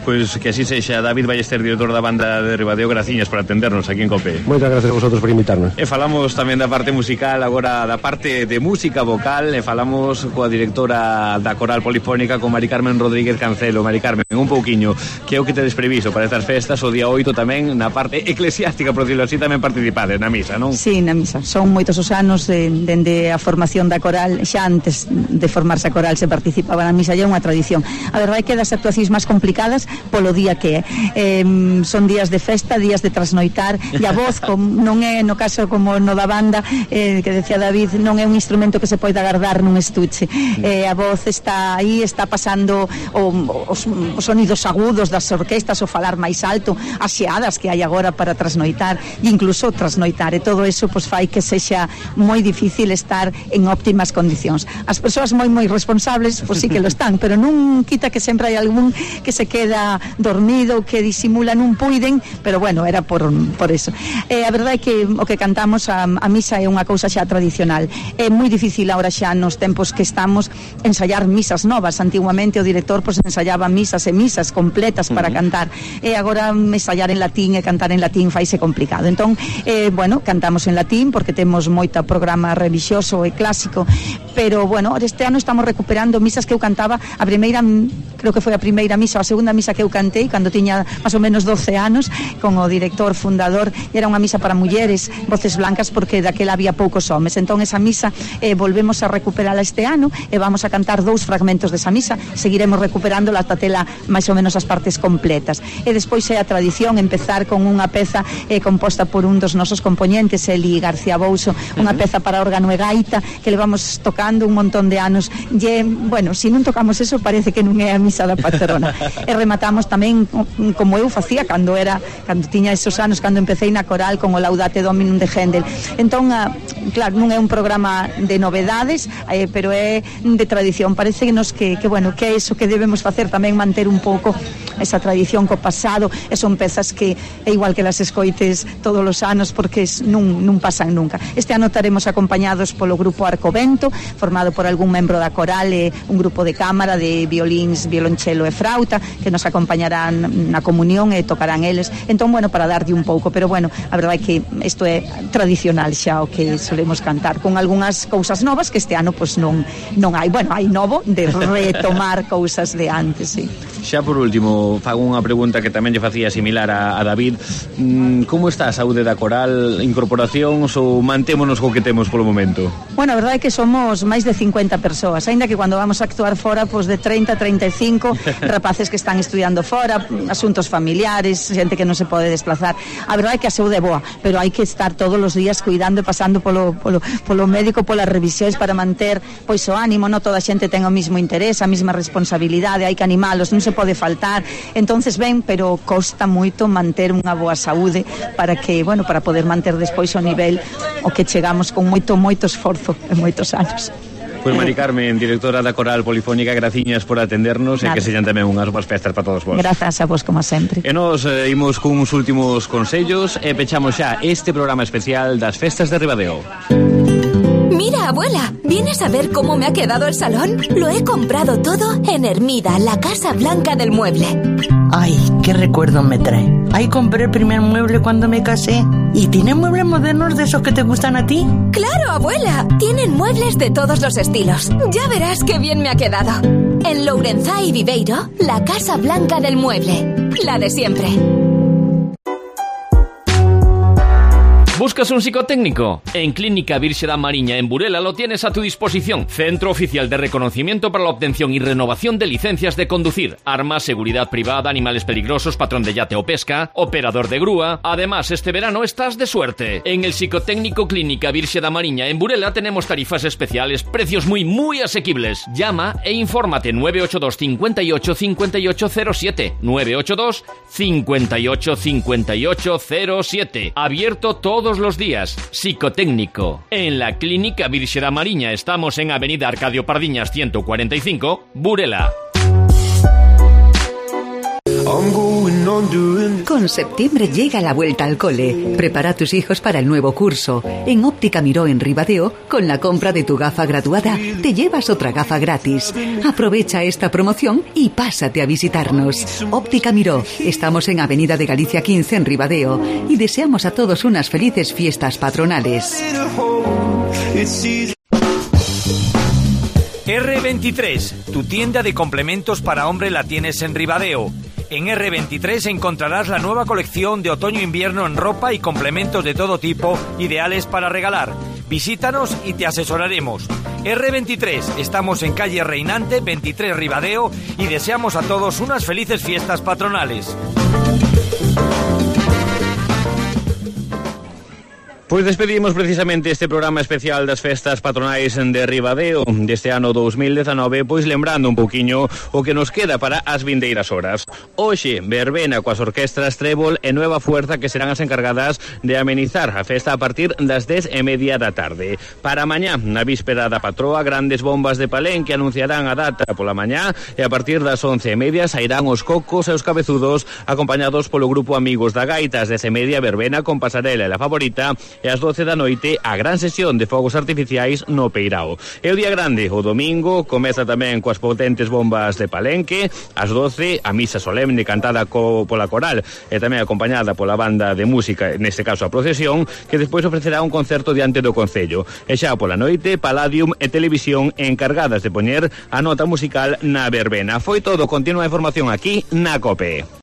Pois que así sexa. David Ballester, director da banda de Ribadeo, graciñas por atendernos aquí en COPE. Moitas gracias a vosotros por invitarnos. E falamos tamén da parte musical, agora da parte de música vocal, e falamos coa directora da Coral Polifónica, con Mari Carmen Rodríguez Cancelo. Mari Carmen, un pouquiño, que é o que tedes previsto para estas festas? O día oito tamén na parte eclesiástica, por decirlo así, tamén participades na misa, non? Sí, na misa. Son moitos os anos de, dende a formación da Coral, xa antes de formarse a Coral se participaba na misa, e é unha tradición. A verdade é que das actuacións máis complicadas polo día que é. Eh, son días de festa, días de trasnoitar, e a voz com, non é, no caso como no da banda, eh, que decía David, non é un instrumento que se pode agardar nun estuche. Eh, a voz está aí, está pasando o, os, os sonidos agudos das orquestas, o falar máis alto, as xeadas que hai agora para trasnoitar, e incluso trasnoitar, e todo eso pues, fai que sexa moi difícil estar en óptimas condicións. As persoas moi moi responsables, pois pues, sí que lo están, pero non quita que sempre hai algún que se queda está dormido, que disimula non puiden, pero bueno, era por, por eso. Eh, a verdade é que o que cantamos a, a misa é unha cousa xa tradicional. É moi difícil agora xa nos tempos que estamos ensaiar misas novas. Antiguamente o director pues, ensaiaba misas e misas completas para uh-huh. cantar, e agora ensaiar en latín e cantar en latín faise complicado. Entón, eh, bueno, cantamos en latín porque temos moita programa religioso e clásico, pero bueno, este ano estamos recuperando misas que eu cantaba a primeira, creo que foi a primeira misa, a segunda misa que eu cantei cando tiña máis ou menos doce anos con o director fundador, e era unha misa para mulleres, voces blancas, porque daquela había poucos homes. Entón esa misa eh, volvemos a recuperala este ano e vamos a cantar dous fragmentos desa misa, seguiremos recuperándola ata tela máis ou menos as partes completas. E despois é a tradición empezar con unha peza eh, composta por un dos nosos componentes, Eli García Bouso, unha uh-huh. peza para órgano e gaita que levamos tocando un montón de anos. E, bueno, se non tocamos eso parece que non é a misa da patrona. E rematamos tamén como eu facía cando era, cando tiña esos anos, cando empecé na coral con o Laudate Dominum de Händel. Entón, a, claro, non é un programa de novedades, eh, pero é de tradición. Parece nos que, que, bueno, que é iso que debemos facer, tamén manter un pouco esa tradición co pasado, e son pezas que é igual que las escoites todos os anos, porque non, non pasan nunca. Este ano estaremos acompañados polo grupo Arcovento, formado por algún membro da coral e un grupo de cámara de violíns, violonchelo e frauta, que nos acompañarán na comunión e tocarán eles. Entón, bueno, para darlle un pouco, pero bueno, a verdade é que isto é tradicional xa o que solemos cantar, con algunhas cousas novas que este ano pois non non hai. Bueno, hai novo de retomar cousas de antes, sí. Xa por último, fago unha pregunta que tamén lle facía similar a, a David. Mm, como está a saúde da coral? Incorporacións ou mantémonos co que temos polo momento? Bueno, a verdade é que somos máis de cincuenta persoas, aínda que cando vamos a actuar fora, pois de treinta a treinta e cinco rapaces que están estudiando fora, asuntos familiares, xente que non se pode desplazar. A verdade é que a saúde é boa, pero hai que estar todos os días cuidando e pasando polo, polo, polo médico, polas revisións para manter pois o ánimo. Non toda a xente ten o mismo interés, a mesma responsabilidade, hai que animalos, non se pode faltar. Entonces ben, pero costa moito manter unha boa saúde para que, bueno, para poder manter despois o nivel o que chegamos con moito, moito esforzo en moitos anos. Pois Mari Carmen, directora da Coral Polifónica, graciñas por atendernos. Nada. E que sellan tamén unhas boas festas para todos vos. Grazas a vos, como sempre. E nos eh, imos cuns últimos consellos e pechamos xa este programa especial das festas de Ribadeo. Mira, abuela, ¿vienes a ver cómo me ha quedado el salón? Lo he comprado todo en Hermida, la Casa Blanca del Mueble. Ay, qué recuerdo me trae. Ahí compré el primer mueble cuando me casé. ¿Y tiene muebles modernos de esos que te gustan a ti? ¡Claro, abuela! Tienen muebles de todos los estilos. Ya verás qué bien me ha quedado. En Lourenzá y Viveiro, la Casa Blanca del Mueble. La de siempre. ¿Buscas un psicotécnico? En Clínica Virxe da Mariña en Burela lo tienes a tu disposición. Centro oficial de reconocimiento para la obtención y renovación de licencias de conducir, armas, seguridad privada, animales peligrosos, patrón de yate o pesca, operador de grúa. Además, este verano estás de suerte. En el psicotécnico Clínica Virxe da Mariña en Burela tenemos tarifas especiales, precios muy, muy asequibles. Llama e infórmate nueve ocho dos cincuenta y ocho cincuenta y ocho cero siete. nueve ocho dos cincuenta y ocho cincuenta y ocho cero siete. Abierto todo todos los días. Psicotécnico. En la Clínica Virxe da Mariña estamos en Avenida Arcadio Pardiñas ciento cuarenta y cinco, Burela. Con septiembre llega la vuelta al cole. Prepara a tus hijos para el nuevo curso. En Óptica Miró en Ribadeo, con la compra de tu gafa graduada, te llevas otra gafa gratis. Aprovecha esta promoción y pásate a visitarnos. Óptica Miró. Estamos en Avenida de Galicia quince en Ribadeo y deseamos a todos unas felices fiestas patronales. erre veintitrés, tu tienda de complementos para hombre la tienes en Ribadeo. En erre veintitrés encontrarás la nueva colección de otoño-invierno en ropa y complementos de todo tipo, ideales para regalar. Visítanos y te asesoraremos. erre veintitrés, estamos en calle Reinante veintitrés Ribadeo y deseamos a todos unas felices fiestas patronales. Pois despedimos precisamente este programa especial das festas patronais de Ribadeo deste ano dos mil dezanove, pois lembrando un pouquiño o que nos queda para as vindeiras horas. Hoxe, verbena coas orquestras Trébol e Nueva Fuerza, que serán as encargadas de amenizar a festa a partir das dez e media da tarde. Para mañá, na víspera da patroa, grandes bombas de Palenque anunciarán a data pola mañá e a partir das once e media sairán os cocos e os cabezudos acompañados polo grupo Amigos da Gaita. As dez e media, verbena con pasarela e la favorita, e ás doce da noite a gran sesión de fogos artificiais no Peirao. E o día grande, o domingo, comeza tamén coas potentes bombas de Palenque. Ás doce, a misa solemne cantada co, pola coral e tamén acompañada pola banda de música, neste caso a procesión, que despois ofrecerá un concerto diante do Concello. E xa pola noite, Palladium e Televisión encargadas de poñer a nota musical na verbena. Foi todo, continua a información aquí na COPE.